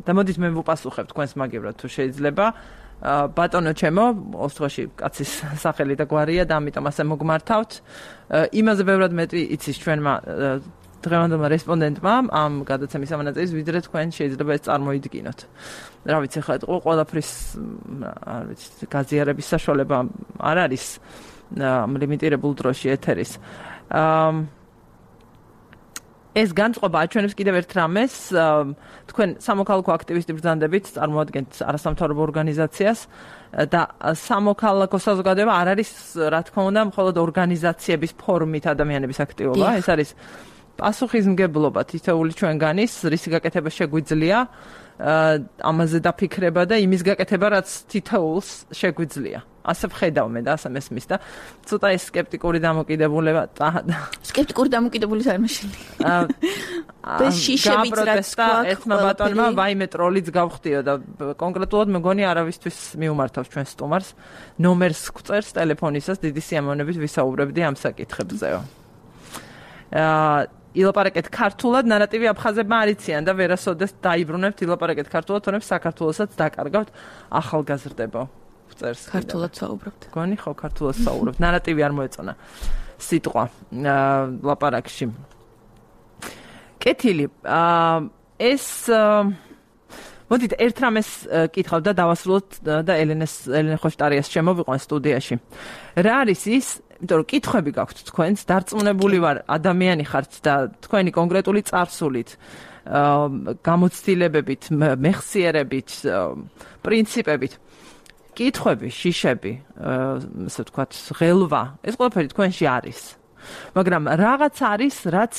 და მოდით მე ვუპასუხებ თქვენს მაგივრად თუ შეიძლება ბატონო ჩემო, ოსტროში კაცის სახელი და გვარია და ამიტომ ასე მოგმართავთ. იმაზე ბევრად მეტი იცის ჩვენმა დღევანდელმა რესპონდენტმა ამ გადაცემის ამონაწილის, ვიდრე თქვენ შეიძლება ეს წარმოიდგინოთ. რა ვიცი, ხა ყველაფრის არ ვიცი, გაზიარების საშუალება არ არის ლიმიტირებულ დროში ეთერის. ეს განწყობა აჩვენებს კიდევ ერთ რამეს, თქვენ სამოქალაქო აქტივისტი ბრძანდებით წარმოადგენთ არასამთავრობო ორგანიზაციას და სამოქალაქო საზოგადოება არ არის, რა თქმა უნდა, მხოლოდ ორგანიზაციების ფორმით ადამიანების აქტივობა, ეს არის პასუხისმგებლობა თითოეული ჩვენგანის, რისი გაკეთება შეგვიძლია, ამაზე დაფიქრება და იმის გაკეთება, რაც თითოეულს შეგვიძლია. ასე ვხედავ მე და ასე მესმის და ცოტა ეს სკეპტიკური დამოკიდებულება სკეპტიკური დამოკიდებულების არ მაშინი. ეს შიშებიც რაც გვაქვს ერთმა ბატონმა ვაიმე ტროლიც გავხდიო და კონკრეტულად მეგონი არავისთვის მიუმართავს ჩვენ სტუმარს ნომერს გვწერს ტელეფონისას დიდი სიამოვნებით ვისაუბრებდი ამ საკითხებზეო. აა ილაპარაკეთ ქართულად ნარატივი აფხაზებმა არიციან და ვერასოდეს დაიბრუნებთ ილაპარაკეთ ქართულად თორემ საქართველოსაც დაკარგავთ ახალგაზრდებო. ქართულად საუბრობთ. გონი ხო ქართულად საუბრობთ. ნარატივი არ მოეწონა სიტყვა ლაპარაკში. კეთილი. ეს მოდით ერთ რამეს კითხავ და დავასრულოთ და ელენეს ელენე ხოშტარიას შემოვიყვან სტუდიაში. რა არის ის, იმიტომ რომ კითხვები გაქვთ თქვენს, დარწმუნებული ვარ ადამიანი ხართ და თქვენი კონკრეტული წარსულით, გამოცდილებებით, მეხსიერებით, პრინციპებით კითხვები, შიშები, ასე ვთქვათ, ღელვა, ეს ყველაფერი თქვენში არის. მაგრამ რაღაც არის, რაც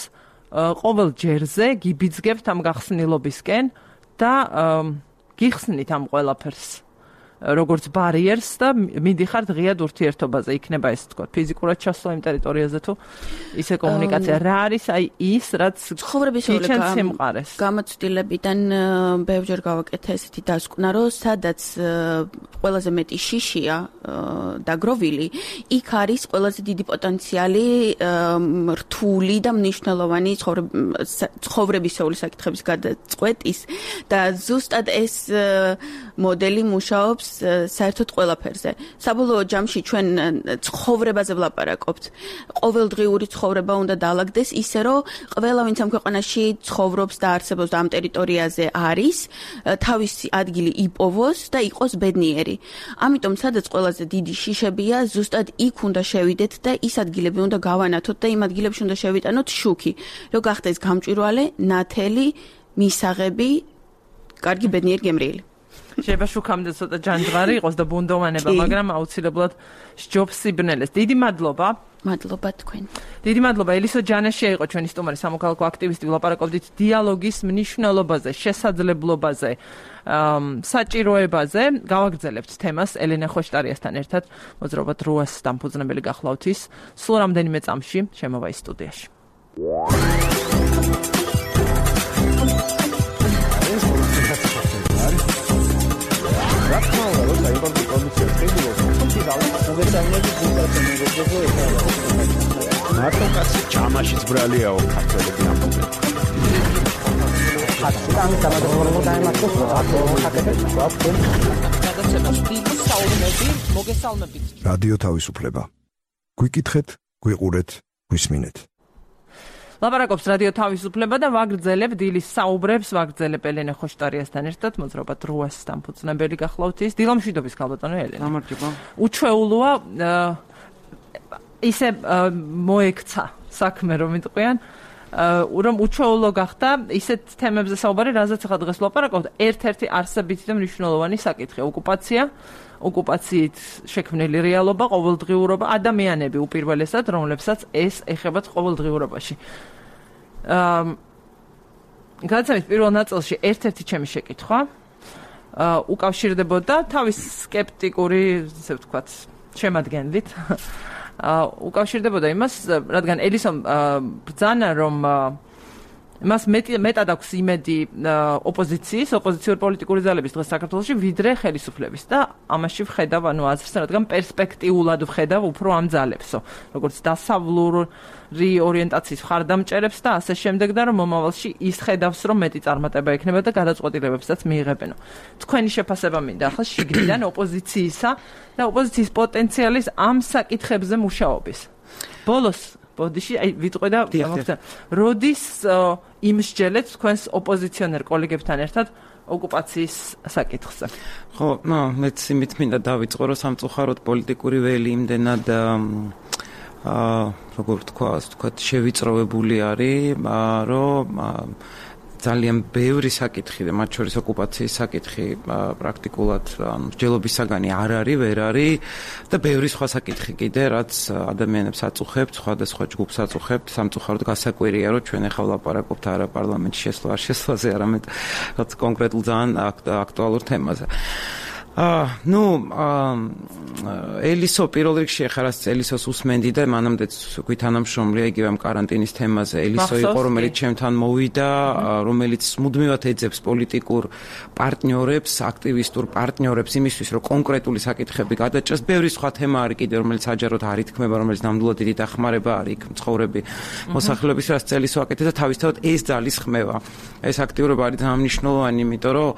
ყოველ ჯერზე გიბიძგებთ ამ გახსნილობისკენ და გიხსნით ამ ყველაფერს. როგორც ბარიერს და მიდიხართ ღიად ურთიერთობაზე. იქნება ეს ვთქვათ, ფიზიკურად ჩასვლა იმ ტერიტორიაზე თუ ისე კომუნიკაცია. რა არის აი ის, რაც ცხოვრებისეული გამოცდილებიდან ბევრჯერ გავაკეთე ესეთი დასკვნა, რომ სადაც ყველაზე მეტი შიშია დაგროვილი, იქ არის ყველაზე დიდი პოტენციალი რთული და მნიშვნელოვანი ცხოვრებისეული საკითხების გადაწყვეტის და ზუსტად ეს მოდელი მუშაობს საერთოდ ყველაფერზე. საბოლოო ჯამში ჩვენ ცხოვრებაზე ვლაპარაკობთ. ყოველდღიური ცხოვრება უნდა დაალაგდეს ისე, რომ ყველა ვინც ამ ქვეყანაში ცხოვრობს და არსებობს და ამ ტერიტორიაზე არის, თავისი ადგილი იპოვოს და იყოს ბედნიერი. ამიტომ სადაც ყველაზე დიდი შიშებია, ზუსტად იქ უნდა შევიდეთ და ის ადგილები უნდა გავანათოთ და იმ ადგილებში უნდა შევიტანოთ შუქი, რომ გახდეს გამჭვირვალე, ნათელი, მისაღები, კარგი ბედნიერი გემრიელი. შეიძლება შუქამდე ცოტა ჯანჯღარი იყოს და ბუნდოვანება, მაგრამ აუცილებლად სჯობს სიბნელეს. დიდი მადლობა. მადლობა თქვენ. დიდი მადლობა. ელისო ჯანაშია იყო ჩვენი სტუმარი, სამოქალაქო აქტივისტი, ვლაპარაკობდით დიალოგის მნიშვნელობაზე, შესაძლებლობაზე, საჭიროებაზე. გავაგრძელებთ თემას ელენე ხოშტარიასთან ერთად. მოძრაობა დროას დამფუძნებელი გახლავთ ის. სულ რამდენიმე წამში შემოვა ის სტუდიაში. რატომ რომ საერთოდ პროდუქცია შეიძლება მოგეწამლები გულწრფელობაზე მარტო კაცი ჩამაშიც ბრალიაო ქართველები ამბობენ ხატი გამოგორმო დაემართოს აკო ხაკეთებს ვაფენ გადაცემას დიდი საუბნები მოგესალმებით რადიო თავისუფლება გვიკითხეთ გვიყურეთ გვისმინეთ ლაპარაკობს რადიო თავისუფლება და ვაგრძელებ დილის საუბრებს, ვაგრძელებ ელენე ხოშტარიასთან ერთად, მოძრაობა დროას დამფუძნებელი გახლავთ ის. დილამშვიდობის ქალბატონო ელენე. გამარჯობა. უჩვეულოა ისე მოექცა საქმე რომ იტყვიან, რომ უჩვეულო გახდა ისეთ თემებზე საუბარი, რაზეც ახლა დღეს ვლაპარაკობთ, ერთ-ერთი არსებითი და მნიშვნელოვანი საკითხი, ოკუპაცია. ოკუპაციით შექმნილი რეალობა, ყოველდღიურობა, ადამიანები უპირველესად, რომლებსაც ეს ეხებათ ყოველდღიურობაში. აა გადაცემის პირველ ნაწილში ერთ-ერთი ჩემი შეკითხვა აა უკავშირდებოდა თავის სკეპტიკური, ისე ვთქვათ, შემადგენლით. აა უკავშირდებოდა იმას, რადგან ელისომ ბრძანა რომ მას მეტად აქვს იმედი ოპოზიციის, ოპოზიციური პოლიტიკური ძალების დღეს საქართველოში, ვიდრე ხელისუფლების და ამაში ვხედავ, ანუ აზრს, რადგან პერსპექტიულად ვხედავ უფრო ამ ძალებსო, როგორც დასავლური ორიენტაციის მხარდამჭერებს და ასე შემდეგ და რომ მომავალში ის ხედავს, რომ მეტი წარმატება ექნება და გადაწყვეტილებებსაც მიიღებენო. თქვენი შეფასება მინდა ახლა შიგნიდან ოპოზიციისა და ოპოზიციის პოტენციალის ამ საკითხებზე მუშაობის. ბოლოს ბოდიში აი ვიტყვი და მოგწა როდის იმსჯელეთ თქვენს ოპოზიციონერ კოლეგებთან ერთად ოკუპაციის საკითხზე. ხო, ნუ მეც იმით მინდა დავიწყო რომ სამწუხაროდ პოლიტიკური ველი იმდენად აა როგორ თქვა, თქვა შევიწროვებული არის, რომ ძალიან ბევრი საკითხი და მათ შორის ოკუპაციის საკითხი პრაქტიკულად მსჯელობისაგანი არ არის, ვერ არის და ბევრი სხვა საკითხი კიდე, რაც ადამიანებს აწუხებთ, სხვადასხვა ჯგუფს აწუხებთ. სამწუხაროდ გასაკვირია, რომ ჩვენ ახლა ვლაპარაკობთ არა პარლამენტში შესვლა არ შესვლაზე, არამედ რაც კონკრეტულ ძალიან აქტუალურ თემაზე. აა ნუ ელისო პირველ რიგში ახლა რაც ელისოს უსმენდი და მანამდეც გვითანამშრომლია იგივე ამ კარანტინის თემაზე. ელისო იყო რომელიც ჩემთან მოვიდა, რომელიც მუდმივად ეძებს პოლიტიკურ პარტნიორებს, აქტივისტურ პარტნიორებს იმისთვის, რომ კონკრეტული საკითხები გადაჭრას. ბევრი სხვა თემა არის კიდე, რომელიც საჯაროდ არ ითქმება, რომელიც ნამდვილად დიდი დახმარება არის იქ მცხოვრები მოსახლეობის, რაც ელისო აკეთებს და თავისთავად ეს ძალის ხმევა. ეს აქტიურობა არის ძალიან მნიშვნელოვანი, იმიტომ რომ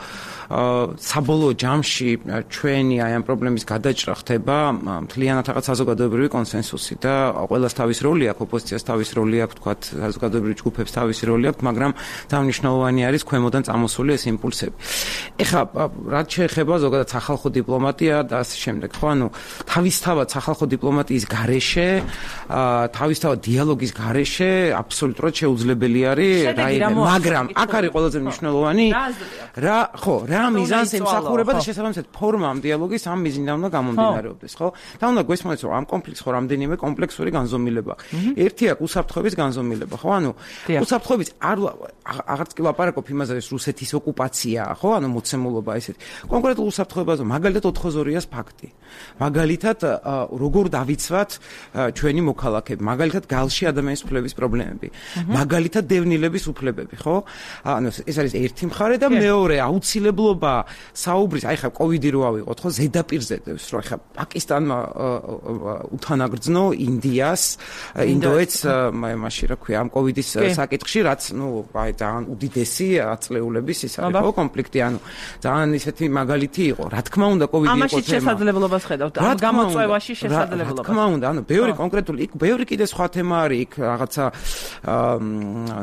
საბოლოო ჯამში ჩვენი აი ამ პრობლემის გადაჭრა ხდება მთლიანად რაღაც საზოგადოებრივი კონსენსუსი და ყველას თავის როლი აქვს, ოპოზიციას თავის როლი აქვს, თქვათ საზოგადოებრივი ჯგუფებს თავისი როლი აქვს, მაგრამ ძალიან მნიშვნელოვანი არის ქვემოდან წამოსული ეს იმპულსები. ეხლა რაც შეეხება ზოგადად სახალხო დიპლომატია და ასე შემდეგ, ხო, ანუ თავისთავად სახალხო დიპლომატიის გარეშე, თავისთავად დიალოგის გარეშე აბსოლუტურად შეუძლებელი არის რაიმე, მაგრამ აქ არის ყველაზე მნიშვნელოვანი რა, ხო, რა მიზანს ემსახურება და შესაბამისად ფორმა ამ დიალოგის ამ მიზნიდან უნდა გამომდინარეობდეს, ხო? და უნდა გვესმოდეს, რომ ამ კონფლიქტს ხო რამდენიმე კომპლექსური განზომილება. ერთი აქვს უსაფრთხოების განზომილება, ხო? ანუ უსაფრთხოების არ აღარც კი ლაპარაკობ იმაზე, რომ რუსეთის ოკუპაციაა, ხო? ანუ მოცემულობა ესეთი. კონკრეტულ უსაფრთხოებაზე, მაგალითად ოთხმოცდაორიას ფაქტი. მაგალითად, როგორ დავიცვათ ჩვენი მოქალაქეები, მაგალითად გალში ადამიანის უფლების პრობლემები, მაგალითად დევნილების უფლებები, ხო? ანუ ეს არის ერთი მხარე და მეორე აუცილებლობა საუბრის, აი ხა კოვიდის მოვიდი რო ავიღოთ, ხო, ზედაპირზე დევს, რომ ხა პაკისტანმა უთანაგრძნო ინდიას, ინდოეთს მაშინ რა ქვია, ამ კოვიდის საკითხში, რაც ნუ აი ძალიან უდიდესი აწლეულების ის არის, ხო, კონფლიქტი, ანუ ძალიან ისეთი მაგალითი იყო. რა თქმა უნდა, კოვიდი იყო თემა. ამაში შესაძლებლობას ხედავთ, ამ გამოწვევაში შესაძლებლობას. რა თქმა უნდა, ანუ ბევრი კონკრეტული, იქ ბევრი კიდე სხვა თემა არის, იქ რაღაცა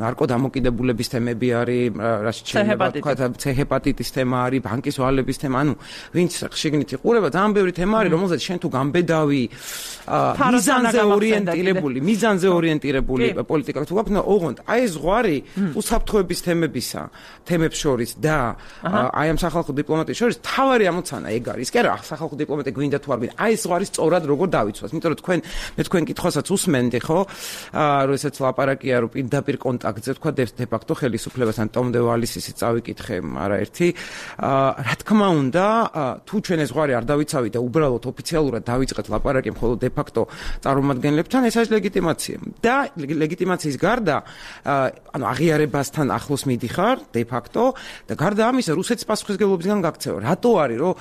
ნარკოდამოკიდებულების თემები არის, რაც შეიძლება თქვა, ცეჰეპატიტის თემა არის, ბანკის ვალების თემა, ანუ ვინც შეგნით იყურება, ძალიან ბევრი თემა არის, რომელზეც შენ თუ გამბედავი მიზანზე ორიენტირებული, მიზანზე ორიენტირებული პოლიტიკა თუ გაქვს, ოღონდ აი ეს ზღვარი უსაფრთხოების თემებისა, თემებს შორის და აი ამ სახალხო დიპლომატიის შორის თავარი ამოცანა ეგ არის. კი არა, სახალხო დიპლომატია გვინდა თუ არ გვინდა, აი ეს ზღვარი სწორად როგორ დავიცვას, იმიტომ რომ თქვენ მე თქვენ კითხვასაც უსმენდი, ხო? როდესაც ლაპარაკია რომ პირდაპირ კონტაქტზე თქვა დე-ფაქტო ხელისუფლებასთან ტომ დე ვალისის წავიკითხე არაერთი. რა თქმა უნდა, თუ ჩვენ ეს ზღვარი არ დავიცავით და უბრალოდ ოფიციალურად დავიწყეთ ლაპარაკი მხოლოდ დე-ფაქტო წარმომადგენლებთან, ეს არის ლეგიტიმაცია. და ლეგიტიმაციის გარდა, ანუ აღიარებასთან ახლოს მიდიხარ დე-ფაქტო და გარდა ამისა რუსეთის პასუხისმგებლობისგან გაქცევა. რატო არის რომ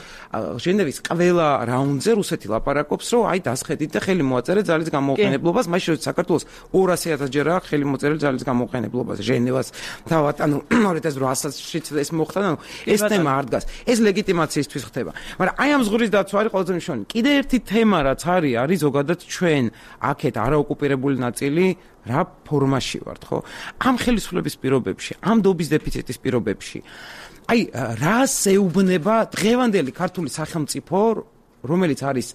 ჟენევის ყველა რაუნდზე რუსეთი ლაპარაკობს, რომ აი დასხედით და ხელი მოაწერეთ ძალის გამოყენებლობას, მაშინ როცა საქართველოს ორასი ათას ჯერ აქვს ხელი მოწერილი ძალის გამოყენებლობას ჟენევას თავად, ანუ ორი ათას რვაასაშიც ეს მოხდა, ანუ ეს თემა არ დგას. ეს ლეგიტიმაციისთვის ხდება. მაგრამ აი ამ ზღურის დაცვა არის ყველაზე მნიშვნელოვანი. კიდე ერთი თემა რაც არის, არის ზოგადად ჩვენ აქეთ არაოკუპირებული ნაწილი რა ფორმაში ვართ, ხო? ამ ხელისუფლების პირობებში, ამ დობის დეფიციტის პირობებში. აი რას ეუბნება დღევანდელი ქართული სახელმწიფო, რომელიც არის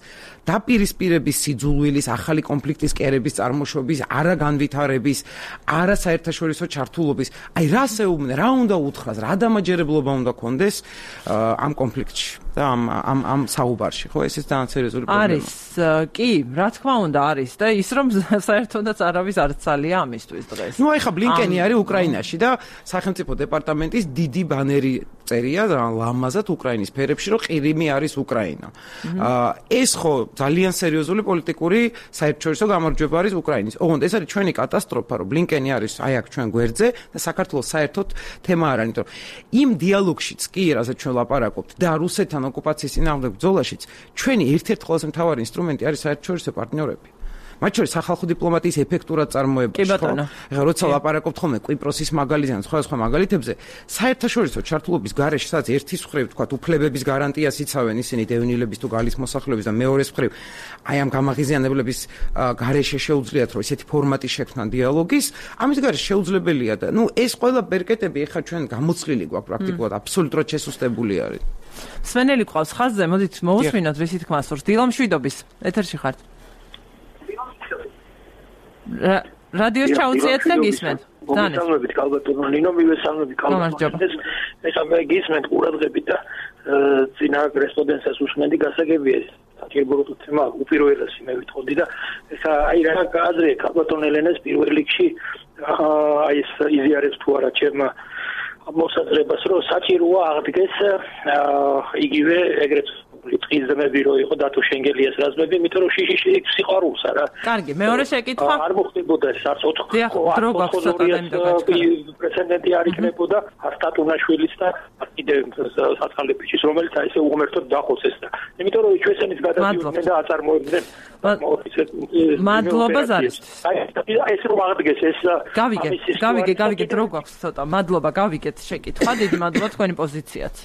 დაპირისპირების სიძულვილის, ახალი კონფლიქტის კერების წარმოშობის, არა განვითარების, არა საერთაშორისო ჩართულობის. აი რას ეუბნება, რა უნდა უთხრას, რა დამაჯერებლობა უნდა კონდეს ამ კონფლიქტში და ამ ამ ამ საუბარში, ხო? ეს ის ძალიან სერიოზული პრობლემაა. არის, კი, რა თქმა უნდა არის და ის რომ საერთოდაც არავის არ ცალია ამისთვის დღეს. ნუ აი ხა ბლინკენი არის უკრაინაში და სახელმწიფო დეპარტამენტის დიდი ბანერი წერია ლამაზად უკრაინის ფერებში, რომ ყირიმი არის უკრაინა. ეს ხო ძალიან სერიოზული პოლიტიკური საერთაშორისო გამარჯვება არის უკრაინის. ოღონდ ეს არის ჩვენი კატასტროფა, რომ ბლინკენი არის აი აქ ჩვენ გვერდზე და საქართველოს საერთოდ თემა არ არის, იმიტომ რომ იმ დიალოგშიც კი, რასაც ჩვენ ლაპარაკობთ და რუსეთთან ოკუპაციის წინააღმდეგ ბრძოლაშიც ჩვენი ერთ-ერთი ყველაზე მთავარი ინსტრუმენტი არის საერთაშორისო პარტნიორები. მათ შორის სახალხო დიპლომატიის ეფექტურად წარმოებაში, ხო? ეხლა როცა ლაპარაკობთ ხოლმე კვიპროსის მაგალითზე, სხვა სხვა მაგალითებზე, საერთაშორისო ჩართულობის გარეშე, სადაც ერთის მხრივ თქვა უფლებების გარანტიას იცავენ ისინი დევნილების თუ გალის მოსახლეობის და მეორეს მხრივ აი ამ გამაღიზიანებლების გარეშე შეუძლიათ რომ ესეთი ფორმატი შექმნან დიალოგის, ამის გარეშე შეუძლებელია და ნუ ეს ყველა ბერკეტები ეხლა ჩვენ გამოცვლილი გვაქვს პრაქტიკულად, აბსოლუტურად შესუსტებული არის. სვენელი ყავს ხაზზე, მოდით მოусმინოთ რისი თქმა სურს. დილა მშვიდობის, ეთერში ხართ. რადიოს ჩაუწიეთ და გისმენთ. მოგესალმებით კალბატონო ნინო, მივესალმებით კალბატონო. ეხლა მე გისმენთ ყურადღებით და წინა კორესპონდენციას უსმენდი, გასაგებია ეს საკერბოროტო თემა უპირველესი მე ვითხოვდი და ეხლა აი რა აზრია კალბატონ ელენეს პირველ რიგში აი ეს იზიარებს თუ არა ჩემ მოსაზრებას, რომ საჭიროა აღდგეს იგივე ეგრეთ ტყის ძმები რო იყო დათო შენგელიას რაზმები, იმიტომ რომ შიში სიყვარულს არა. კარგი, მეორე შეკითხვა. არ მოხდებოდა ეს არც ოთხ პრეცედენტი არ იქნებოდა არტატუნაშვილის და კიდე საცხალებიჩის, რომელიც აი ესე უღმერთოდ დახოცეს და იმიტომ რომ ჩვენსენის გადადიოდნენ და აწარმოებდნენ მადლობა ზარისთვის. აი ეს რომ აღდგეს ეს გავიგე, გავიგე, გავიგე, დრო გვაქვს ცოტა. მადლობა, გავიგეთ შეკითხვა. დიდი მადლობა თქვენი პოზიციაც.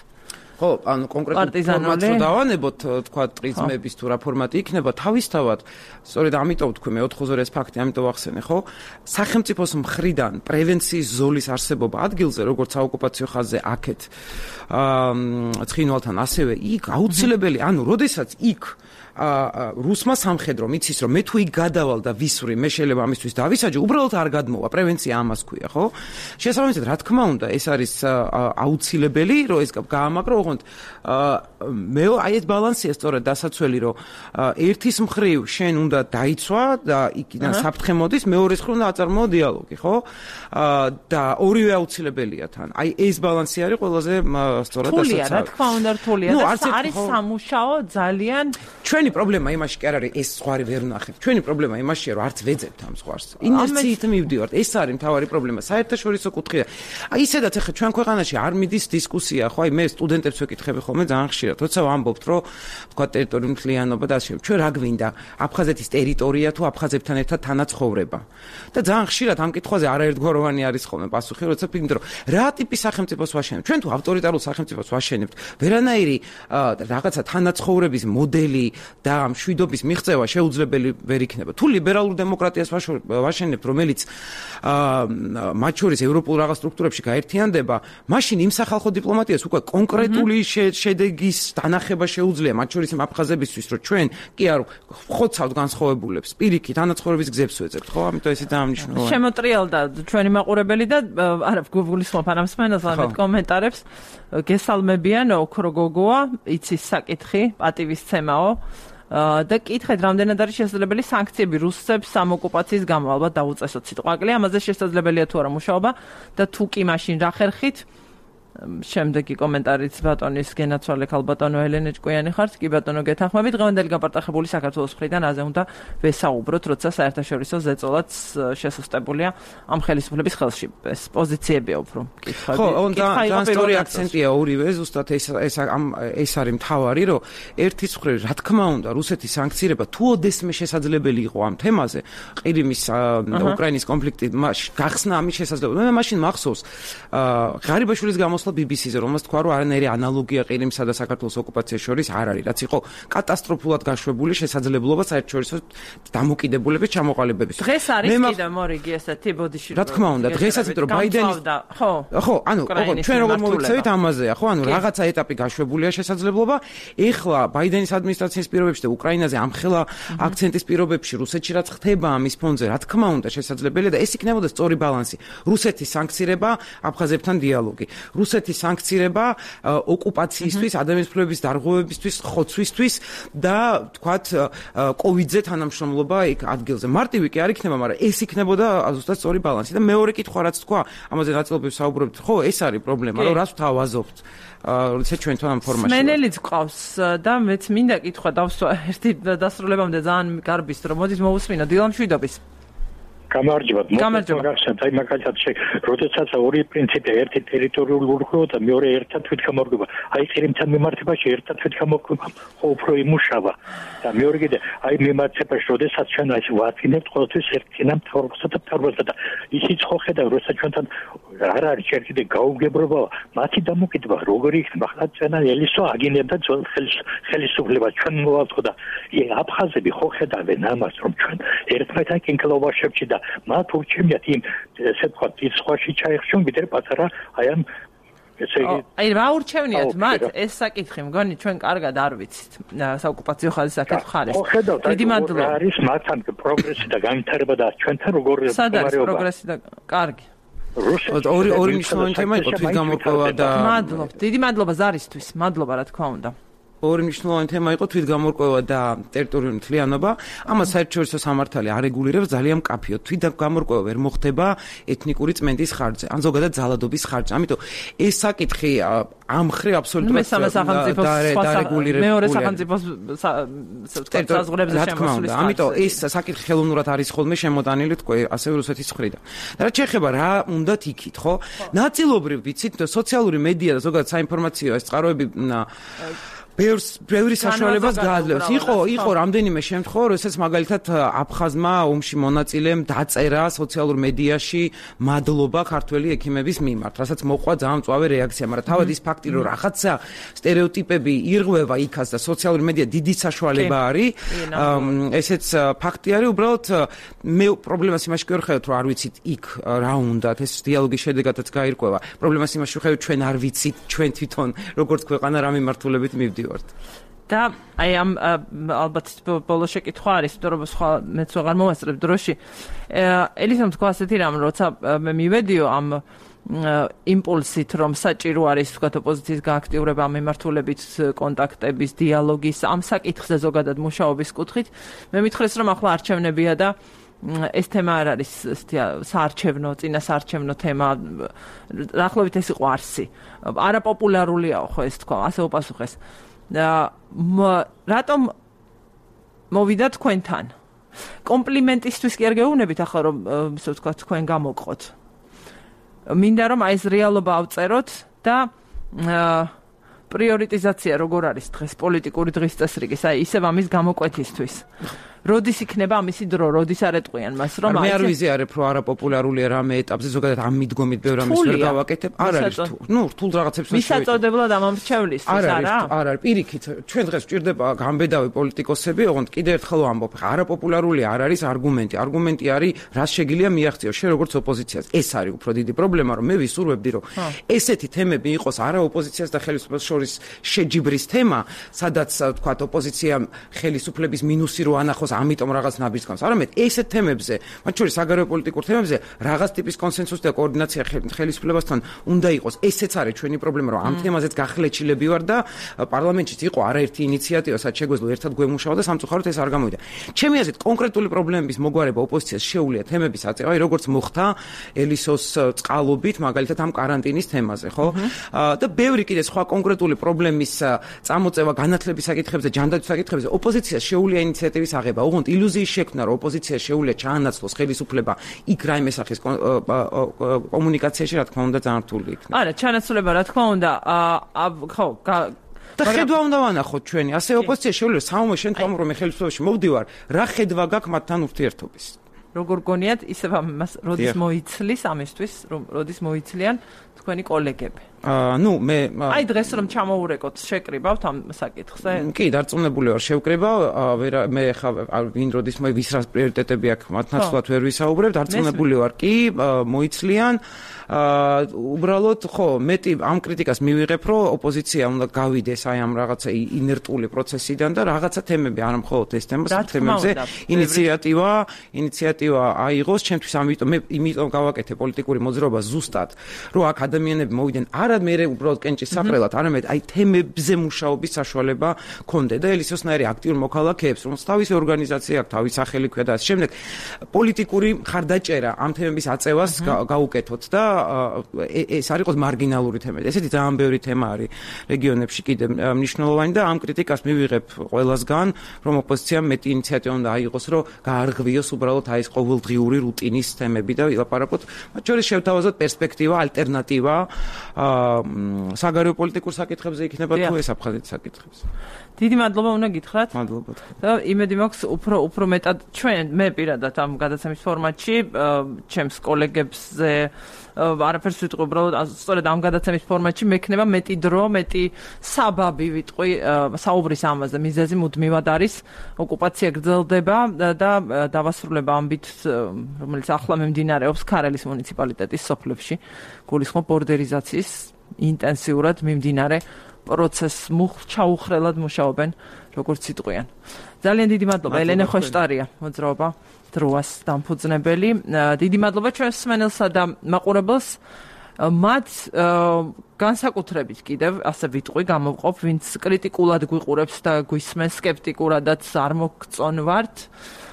ხო, ანუ კონკრეტულ ფორმატს დავანებოთ, თქვა პრიზმების თუ რა ფორმატი იქნება, თავისთავად, სწორედ ამიტომ თქვი მე ოთხ-ზე ეს ფაქტი, ამიტომ ახსენე, ხო? სახელმწიფოს მხრიდან პრევენციის ზოლის არსებობა ადგილზე, როგორც საოკუპაციო ხაზზე აქეთ, აა ცხინვალთან ასევე იქ აუცილებელი, ანუ როდესაც იქ რუსმა სამხედრო მიცის რომ მე თუ იქ გადავალ და ვისვრი, მე შეიძლება ამისთვის დავისაჯო, უბრალოდ არ გადმოვა, პრევენცია ამას ქვია, ხო? შესაბამისად, რა თქმა უნდა, ეს არის აუცილებელი, რომ ეს გაამაგრო, ოღონდ მე აი ეს ბალანსია სწორედ დასაცველი, რომ ერთის მხრივ შენ უნდა დაიცვა და იქიდან საფრთხე მოდის, მეორეს მხრივ უნდა აწარმოო დიალოგი, ხო? და ორივე აუცილებელია თან. აი ეს ბალანსი არის ყველაზე სწორად დასაცავი. რთულია, რა თქმა უნდა, რთულია და არის სამუშაო ძალიან ჩვენი პრობლემა იმაში კი არ არის ეს ზღვარი ვერ ვნახეთ. ჩვენი პრობლემა იმაშია რომ არც ვეძებთ ამ ზღვარს. ინერციით მივდივართ. ეს არის მთავარი პრობლემა. საერთაშორისო კუთხეა. აი ისედაც ახლა ჩვენ ქვეყანაში არ მიდის დისკუსია, ხო? აი მე სტუდენტებს აზრებს ვეკითხები ხოლმე ძალიან ხშირად. როცა ვამბობთ, რომ თქვა ტერიტორიული მთლიანობა და ასე, ჩვენ რა გვინდა? აფხაზეთის ტერიტორია თუ აფხაზებთან ერთად თანაცხოვრება. და ძალიან ხშირად ამ კითხვაზე არაერთგვაროვანი არის ხოლმე პასუხი, როცა ვფიქრობ, რომ რა ტიპის სახელმწიფოს ვაშენებთ? ჩვენ თუ ავტორიტარულ სახელმწიფოს ვაშენებთ, ვერანაირი რაღაცა თანაცხოვრების მოდელი და მშვიდობის მიღწევა შეუძლებელი ვერ იქნება. თუ ლიბერალურ დემოკრატიას ვაშენებთ, რომელიც მათ შორის ევროპულ რაღაც სტრუქტურებში გაერთიანდება, მაშინ იმ სახალხო დიპლომატიას უკვე კონკრეტული შედეგის დანახება შეუძლია მათ შორის იმ აფხაზებისთვის, რომ ჩვენ კი არ ხოცავთ განსხვავებულებს, პირიქით თანაცხოვრების გზებს ვეძებთ, ხო? ამიტომ ესე ძალიან მნიშვნელოვანია. შემოტრიალდა ჩვენი მაყურებელი და არა გულისხმობ ამ მსმენელს ამეთ კომენტარებს. გესალმებიან, ოქრო გოგოა, იცის საკითხი, პატივისცემაო. და კითხეთ, რამდენად არის შესაძლებელი სანქციები რუსებს ამ ოკუპაციის გამო, ალბათ დაუწესოთ სიტყვაკლი, ამაზე შესაძლებელია თუ არა მუშაობა და თუ კი მაშინ რა ხერხით? შემდეგი კომენტარიც ბატონის გენაცვალე ქალბატონო ელენე ჭკვიანი ხართ, კი ბატონო გეთანხმებით, დღევანდელი გაპარტახებული საქართველოს მხრიდან აზე უნდა ვესაუბროთ, როცა საერთაშორისო ზეწოლაც შესუსტებულია ამ ხელისუფლების ხელში. ეს პოზიციებია უფრო კითხვები. ხო, და სტორი აქცენტია ორივე, ზუსტად ეს ეს ეს არის მთავარი, რომ ერთის მხრივ, რა თქმა უნდა, რუსეთის სანქცირება თუ ოდესმე შესაძლებელი იყო ამ თემაზე, ყირიმის უკრაინის კონფლიქტი გახსნა ამის შესაძლებლობა. მე მაშინ მახსოვს ღარიბაშვილის გამოსვლა ბი ბი სი-ზე, რომელსაც თქვა, რომ არანაირი ანალოგია ყირიმსა და საქართველოს ოკუპაციის შორის არ არის, რაც იყო კატასტროფულად გაშვებული შესაძლებლობა საერთაშორისო დამოკიდებულების ჩამოყალიბების. დღეს არის კიდე მორიგი ესეთი ბოდიში. რა თქმა უნდა, დღესაც იმიტომ რომ ბაიდენის ხო, ხო, ანუ ჩვენ როგორ მოვიქცევით ამაზეა, ხო, ანუ რაღაცა ეტაპი გაშვებულია შესაძლებლობა. ეხლა ბაიდენის ადმინისტრაციის პირობებში და უკრაინაზე ამხელა აქცენტის პირობებში რუსეთში რაც ხდება ამის ფონზე, რა თქმა უნდა შესაძლებელია და ეს იქნებოდა სწორი ბალანსი. რუსეთის სანქცირება, აფხაზებთან დიალოგი. რუსეთის სანქცირება ოკუპაციისთვის, ადამიანის უფლებების დარღვევებისთვის, ხოცვისთვის და თქვათ კოვიდზე თანამშრომლობა იქ ადგილზე. მარტივი კი არ იქნება, მაგრამ ეს იქნებოდა ზუსტად სწორი ბალანსი და მეორე კითხვა რაც თქვა, ამაზე ნაწილობრივ საუბრობთ, ხო, ეს არის პრობლემა, რომ რას ვთავაზობთ. როცა ჩვენ თან ამ ფორმაში. მენელიც ყავს და მეც მინდა კითხვა დავსვა ერთი დასრულებამდე ძალიან გარბის, რომ მოდით მოусმინო დილა მშვიდობის. გამარჯობა. მოგახსენეთ, აი მაგალითად, როდესაც ორი პრინციპი, ერთი ტერიტორიული ურღვევა და მეორე ერთად თვითგამორგება. აი ყირიმთან მიმართებაში ერთად თვითგამორგება ხო უფრო იმუშავა. და მეორე კიდე, აი მიმართებაში, როდესაც ჩვენ აი ვაწინებთ ყოველთვის ერთიანა მთავრობასა და მთავრობასა და ისიც ხო ხედავ, როცა ჩვენთან არ არის ჯერ კიდე გაუგებრობა, მათი დამოკიდება როგორი იქნება, ხლა ჩვენა ელისო აგინებდა ძველ ხელისუფლებას ჩვენ მოვალთ და აფხაზები ხო ხედავენ ამას, რომ ჩვენ ერთმანეთთან კინკლოვაშებში და მათ ურჩევნიათ იმ ესე ვთქვათ ის სხვაში ჩაიხშონ ვიდრე პატარა აი ამ ესე იგი აი რა ურჩევნიათ მათ ეს საკითხი მგონი ჩვენ კარგად არ ვიცით საოკუპაციო ხაზის საკითხი ხარ ეს დიდი მადლობა არის მათთან პროგრესი და განვითარება და ჩვენთან როგორ მდგომარეობა პროგრესი და კარგი ორი ორი მნიშვნელოვანი თემა იყო თვითგამორგება და მადლობა დიდი მადლობა ზარისთვის მადლობა რა თქმა უნდა ორი მნიშვნელოვანი თემა იყო თვითგამორგება და ტერიტორიული მთლიანობა. ამას საერთაშორისო სამართალი არეგულირებს ძალიან მკაფიოდ. თვითგამორგება ვერ მოხდება ეთნიკური წმენდის ხარჯზე, ან ზოგადად ზალადობის ხარჯზე. ამიტომ ეს საკითხი ამ ხრი აბსოლუტურად დარეგულირებულია. მეორე სახელმწიფოს საზღვრებზე შემოსვლის. ამიტომ ეს საკითხი ხელოვნურად არის ხოლმე შემოტანილი თქვა ასევე რუსეთის მხრიდან. და რაც შეეხება რა უნდათ იქით, ხო? ნაწილობრივ ვიცით, სოციალური მედია და ზოგადად საინფორმაციო ეს წყაროები ბევრს ბევრი საშუალებას გააძლევს. იყო იყო რამდენიმე შემთხვევა, როდესაც მაგალითად აფხაზმა ომში მონაწილემ დაწერა სოციალურ მედიაში მადლობა ქართველი ექიმების მიმართ, რასაც მოყვა ძალიან მწვავე რეაქცია, მაგრამ თავად ის ფაქტი, რომ რაღაცა სტერეოტიპები ირღვევა იქაც და სოციალური მედია დიდი საშუალება არის, ესეც ფაქტი არის, უბრალოდ მე პრობლემას იმაში ვხედავთ, რომ არ ვიცით იქ რა უნდათ, ეს დიალოგის შედეგადაც გაირკვევა. პრობლემას იმაში ვხედავთ, ჩვენ არ ვიცით, ჩვენ თვითონ როგორც ქვეყანა რა მიმართულებით მივდივართ. და აი ამ ალბათ ბოლო შეკითხვა არის, იმიტომ რომ სხვა მეც ვეღარ მოვასწრებ დროში. ელისამ თქვა ასეთი რამ, როცა მე მივედიო ამ იმპულსით, რომ საჭირო არის თქვა ოპოზიციის გააქტიურება ამ მიმართულებით კონტაქტების, დიალოგის, ამ საკითხზე ზოგადად მუშაობის კუთხით, მე მითხრეს, რომ ახლა არჩევნებია და ეს თემა არ არის საარჩევნო, წინა საარჩევნო თემა. დაახლოებით ეს იყო არსი. არაპოპულარულია ხო ეს თქვა, ასე უპასუხეს. რატომ მოვიდა თქვენთან? კომპლიმენტისთვის კი არ გეუბნებით ახლა რომ ისე ვთქვა თქვენ გამოყოთ. მინდა რომ აი ეს რეალობა ავწეროთ და პრიორიტიზაცია როგორ არის დღეს პოლიტიკური დღის წესრიგის, აი ისევ ამის გამოკვეთისთვის. როდის იქნება ამისი დრო, როდის არ ეტყვიან მას, რომ მე არ ვიზიარებ, რომ არაპოპულარულია რამე ეტაპზე, ზოგადად ამ მიდგომით ბევრ ამის ვერ გავაკეთებ. არ არის თუ, ნუ რთულ რაღაცებს ვერ შევიდე. მისაწოდებლად ამომრჩევლისთვის არა? არ არის, პირიქით, ჩვენ დღეს ვჭირდება გამბედავი პოლიტიკოსები, ოღონდ კიდევ ერთხელ ვამბობ, არაპოპულარული არ არის არგუმენტი. არგუმენტი არის, რას შეგიძლია მიაღწიო შენ როგორც ოპოზიციას. ეს არის უფრო დიდი პრობლემა, რომ მე ვისურვებდი, რომ ესეთი თემები იყოს არა ოპოზიციას და ხელისუფლებას შორის შეჯიბრის თემა, სადაც თქვა ოპოზიციამ ხელისუფლების მინუსი რო ანახოს, ამიტომ რაღაც ნაბიჯს გავს. არამედ ესეთ თემებზე, მათ შორის საგარეო პოლიტიკურ თემებზე რაღაც ტიპის კონსენსუსი და კოორდინაცია ხელისუფლებასთან უნდა იყოს. ესეც არის ჩვენი პრობლემა, რომ ამ თემაზეც გახლეჩილები ვარ და პარლამენტშიც იყო არაერთი ინიციატივა, სადაც შეგვეძლო ერთად გვემუშავა და სამწუხაროდ ეს არ გამოვიდა. ჩემი აზრით, კონკრეტული პრობლემების მოგვარება ოპოზიციას შეუძლია თემების აწევა, როგორც მოხდა ელისოს წყალობით, მაგალითად ამ каранტინის თემაზე, ხო? და ბევრი კიდე სხვა კონკრეტული პრობლემის წამოწევა განათლების საკითხებზე, ჯანდაცვის საკითხებზე ოპოზიციას შეუძლია ინიციატივის აღება. ოღონდ ილუზიის შექმნა, რომ ოპოზიციას შეუძლია ჩაანაცვლოს ხელისუფლება იქ რაიმე სახის კომუნიკაციაში, რა თქმა უნდა, ძალიან რთული იქნება. არა, ჩანაცვლება, რა თქმა უნდა, ხო, და ხედვა უნდა ვანახოთ ჩვენი, ასე ოპოზიცია შეუძლია საომე შენ თვითონ რომ ხელისუფლებაში მოვდივარ, რა ხედვა გაქვს მათთან ურთიერთობის. როგორ გონიათ, ისევ ამას როდის მოიცლის ამისთვის, რომ როდის მოიცლიან თქვენი კოლეგები. აა, ნუ მე აი დღეს რომ ჩამოურეკოთ, შეკრიბავთ ამ საკითხზე? კი, დარწმუნებული ვარ, შევკრიბავ, ვერ მე ხა ვინ როდის მე ვის რა პრიორიტეტები აქვს, მათ ნაცვლად ვერ ვისაუბრებ, დარწმუნებული ვარ, კი, მოიცლიან. აა, უბრალოდ, ხო, მეტი ამ კრიტიკას მივიღებ, რომ ოპოზიცია უნდა გავიდეს აი ამ რაღაცა ინერტული პროცესიდან და რაღაცა თემები, არა მხოლოდ ეს თემა, თემებზე ინიციატივა, ინიციატივა აიღოს, ჩემთვის ამიტომ მე იმიტომ გავაკეთე პოლიტიკური მოძრაობა ზუსტად, რომ აქ ადამიანები მოვიდნენ არა მე უბრალოდ კენჭის საყრელად, არამედ აი თემებზე მუშაობის საშუალება კონდე და ელისოსნაირი აქტიურ მოქალაქეებს, რომელს თავისი ორგანიზაცია აქვს, თავის სახელი ქვია და ასე შემდეგ, პოლიტიკური მხარდაჭერა ამ თემების აწევას გაუკეთოთ და ეს არ იყოს მარგინალური თემები. ესეთი ძალიან ბევრი თემა არის რეგიონებში კიდე მნიშვნელოვანი და ამ კრიტიკას მივიღებ ყველასგან, რომ ოპოზიციამ მეტი ინიციატივა უნდა აიღოს, რომ გაარღვიოს უბრალოდ აი ეს ყოველდღიური რუტინის თემები და ვილაპარაკოთ, მათ შორის შევთავაზოთ პერსპექტივა, ალტერნატივა საგარეო პოლიტიკურ საკითხებზე იქნება თუ ეს აფხაზეთის საკითხებზე. დიდი მადლობა უნდა გითხრათ. მადლობა. და იმედი მაქვს უფრო უფრო მეტად ჩვენ მე პირადად ამ გადაცემის ფორმატში ჩემს კოლეგებზე არაფერს ვიტყვი, უბრალოდ სწორედ ამ გადაცემის ფორმატში მექნება მეტი დრო, მეტი საბაბი ვიტყვი საუბრის ამაზე. მიზეზი მუდმივად არის, ოკუპაცია გრძელდება და დავასრულება ამბით, რომელიც ახლა მიმდინარეობს ქარელის მუნიციპალიტეტის სოფლებში, გულისხმობ ბორდერიზაციის ინტენსიურად მიმდინარე პროცესს ჩაუხრელად მუშაობენ, როგორც იტყვიან. ძალიან დიდი მადლობა ელენე ხოშტარია, მოძრაობა დროას დამფუძნებელი. დიდი მადლობა ჩვენს მსმენელსა და მაყურებელს. მათ განსაკუთრებით კიდევ ასე ვიტყვი, გამოვყოფ, ვინც კრიტიკულად გვიყურებს და გვისმენს, სკეპტიკურადაც არ მოგწონვართ,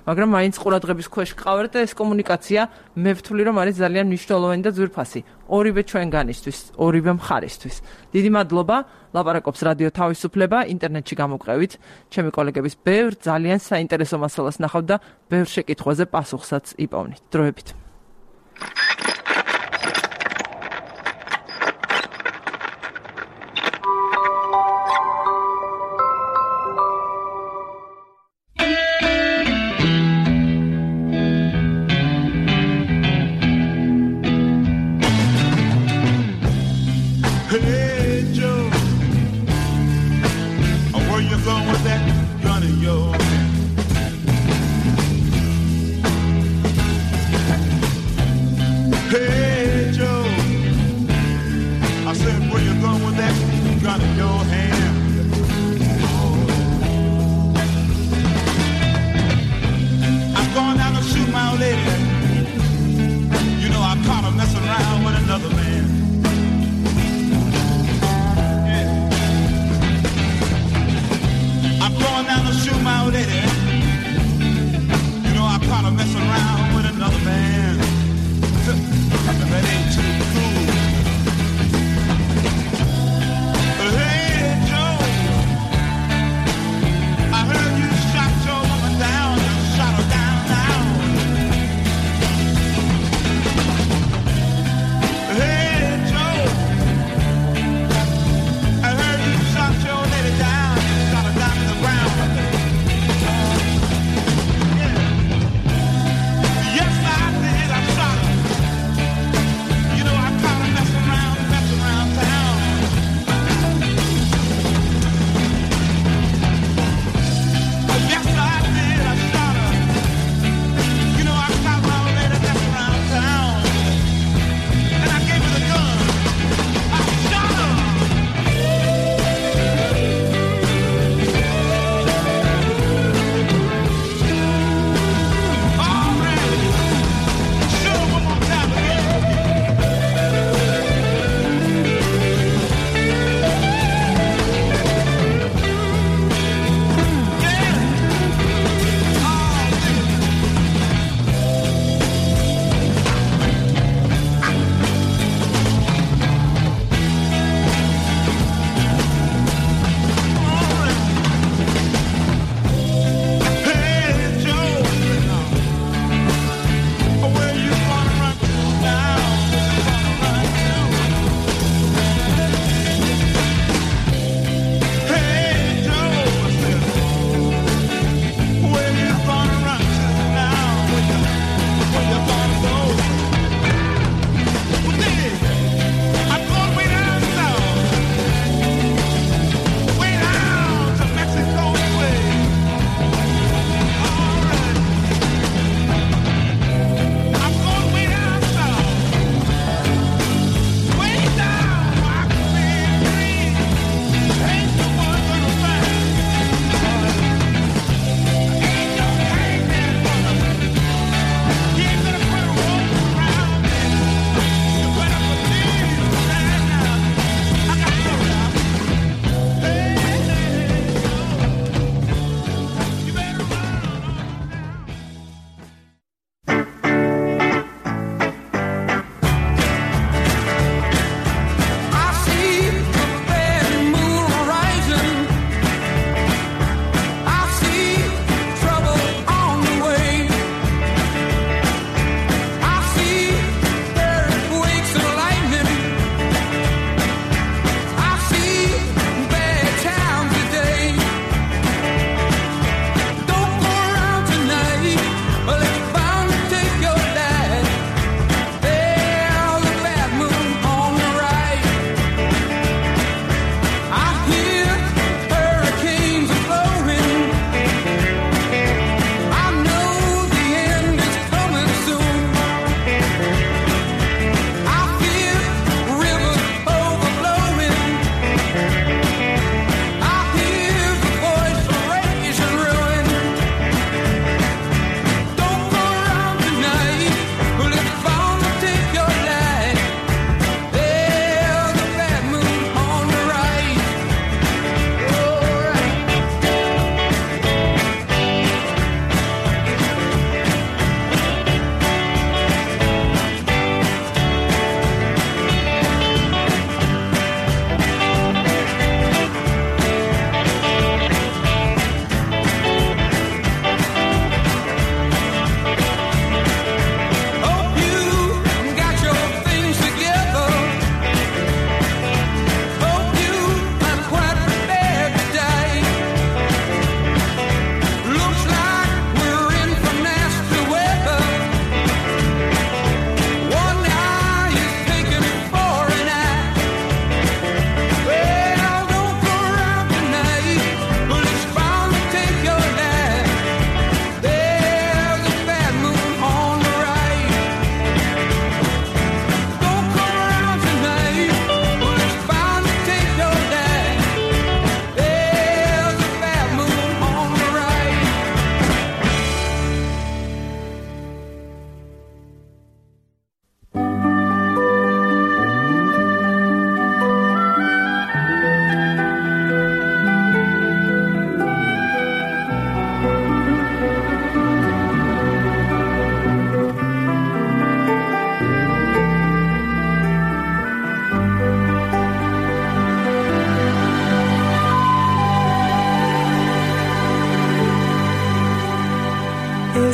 მაგრამ მაინც ყურადღების ქვეშ გყავართ და ეს კომუნიკაცია მე ვთვლი, რომ არის ძალიან მნიშვნელოვანი და ძვირფასი. ორივე ჩვენგანისთვის, ორივე მხარისთვის. დიდი მადლობა. ლაპარაკობს რადიო თავისუფლება, ინტერნეტში გამოგყევით. ჩემი კოლეგების ბევრ ძალიან საინტერესო მასალას ნახავთ და ბევრ შეკითხვაზე პასუხსაც იპოვნით. დროებით.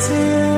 It's